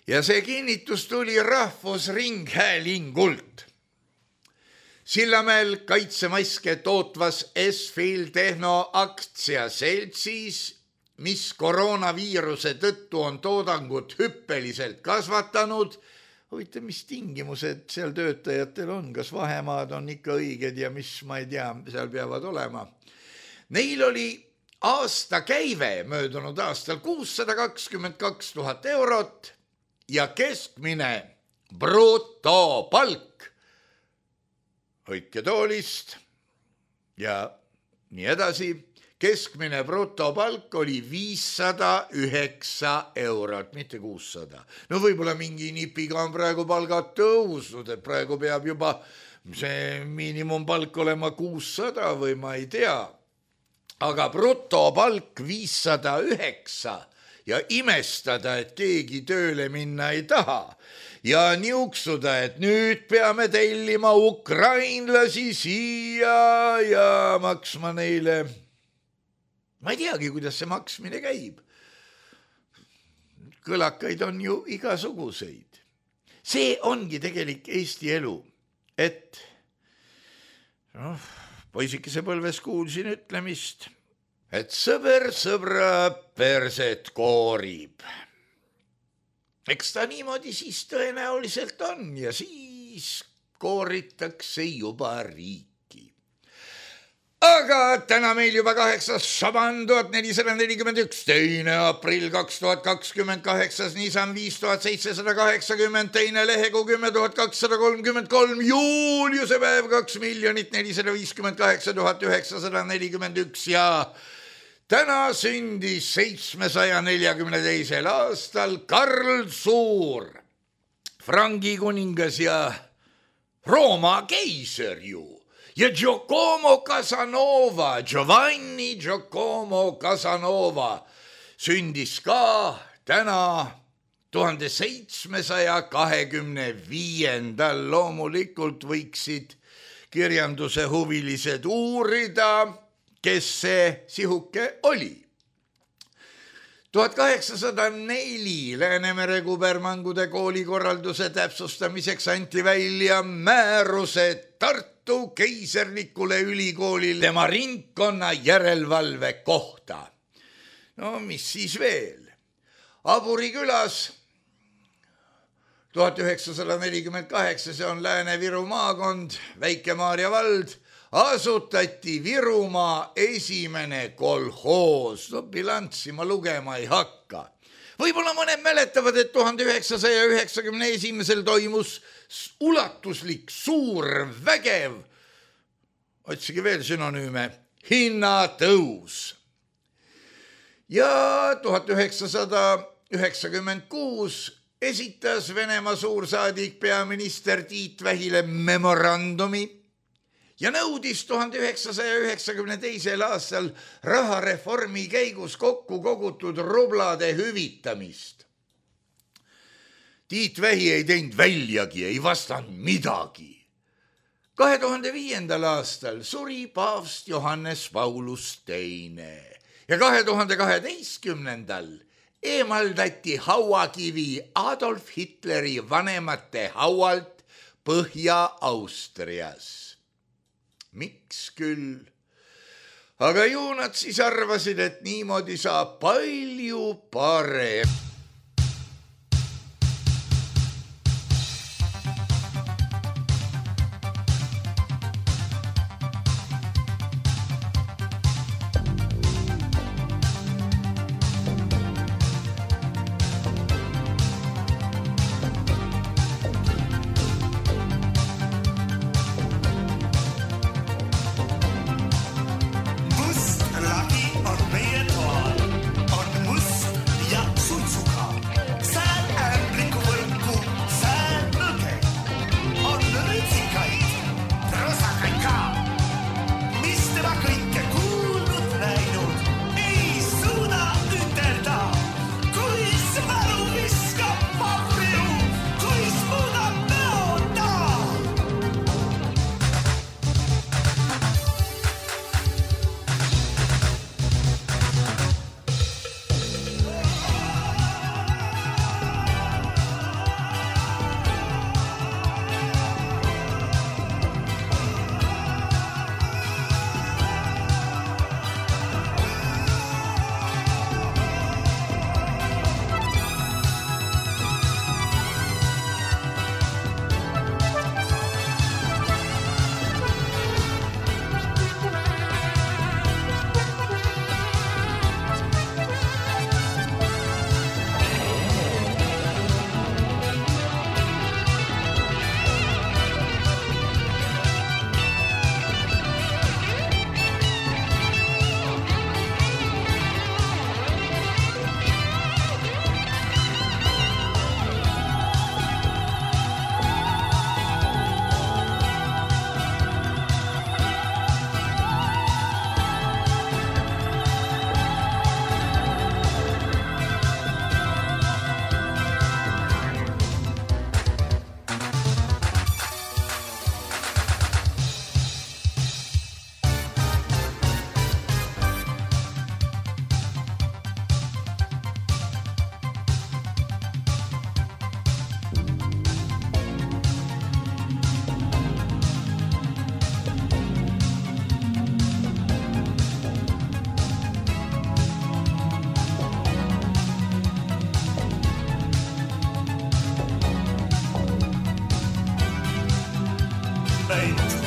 Ja see kinnitus tuli Rahvusringhäälingult. Sillamäel kaitsemaske tootvas Esfil Tehno aktsiaseltsis, mis koroonaviiruse tõttu on toodangut hüppeliselt kasvatanud. Huvitav, mis tingimused seal töötajatel on, kas vahemaad on ikka õiged ja mis, ma ei tea, seal peavad olema. Neil oli aasta käive möödunud aastal kuussada kakskümmend kaks tuhat eurot ja keskmine brutopalk hoidke toolist ja nii edasi. Keskmine brutopalk oli viissada üheksa eurot, mitte kuussada. No võib-olla mingi nipiga on praegu palgad tõusnud, et praegu peab juba see miinimumpalk olema kuussada või ma ei tea. Aga brutopalk viissada üheksa ja imestada, et keegi tööle minna ei taha. Ja niuksuda, et nüüd peame tellima ukrainlasi siia ja maksma neile. Ma ei teagi, kuidas see maksmine käib. Kõlakaid on ju igasuguseid. See ongi tegelik Eesti elu, et noh, poisikese põlves kuulsin ütlemist, et sõber sõbra perset koorib. Eks ta niimoodi siis tõenäoliselt on ja siis kooritakse juba riiki. Aga täna meil juba kaheksas Šaban tuhat nelisada nelikümmend üks, teine aprill kaks tuhat kakskümmend kaheksas, Nisan viis tuhat seitsesada kaheksakümmend, teine Lehekuu kümme tuhat kakssada kolmkümmend kolm, Juuliuse päev kaks miljonit nelisada viiskümmend kaheksa tuhat üheksasada nelikümmend üks ja täna sündis seitsmesaja neljakümne teisel aastal Karl Suur, Frangi kuningas ja Rooma keiser ju. Ja Giacomo Casanova, Giovanni Giacomo Casanova sündis ka täna tuhande seitsmesaja kahekümne viiendal. Loomulikult võiksid kirjanduse huvilised uurida, kes see sihuke oli. tuhat kaheksasada neli Läänemere kubermangude kooli korralduse täpsustamiseks anti välja määruse Tartu keiserlikule ülikoolile tema ringkonna järelevalve kohta. No mis siis veel? Aburi külas tuhat üheksasada nelikümmend kaheksa, see on Lääne-Viru maakond, Väike-Maarja vald, asutati Virumaa esimene kolhoos. No bilanssi ma lugema ei hakka. Võib-olla mõned mäletavad, et tuhande üheksasaja üheksakümne esimesel toimus ulatuslik suur vägev, otsige veel sünonüüme, hinnatõus. Ja tuhat üheksasada üheksakümmend kuus esitas Venemaa suursaadik peaminister Tiit Vähile memorandumi ja nõudis tuhande üheksasaja üheksakümne teisel aastal rahareformi käigus kokku kogutud rublade hüvitamist. Tiit Vähi ei teinud väljagi, ei vastanud midagi. kahe tuhande viiendal aastal suri paavst Johannes Paulus teine ja kahe tuhande kaheteistkümnendal eemaldati hauakivi Adolf Hitleri vanemate haualt Põhja-Austrias. Miks küll? Aga ju nad siis arvasid, et niimoodi saab palju parem.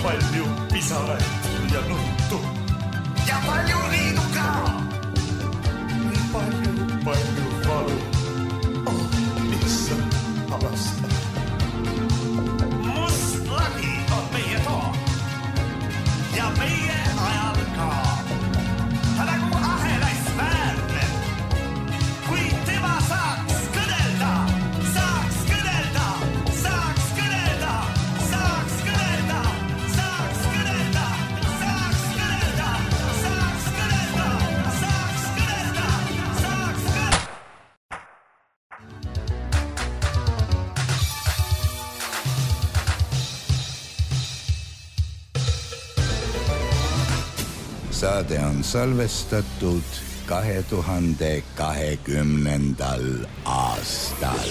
Palju pisarat ja nuttu. Ja palju riidu ka. Palju, palju valu. Oh, lihtsalt avasta. Must lagi on meie too. Ja meie ajal ka. Ta nagu ahelais väärne. Kui tema saaks kõnelda, saaks kõnelda, saaks kõnelda, saaks kõnelda. Saade on salvestatud kahe tuhande kahekümnendal aastal.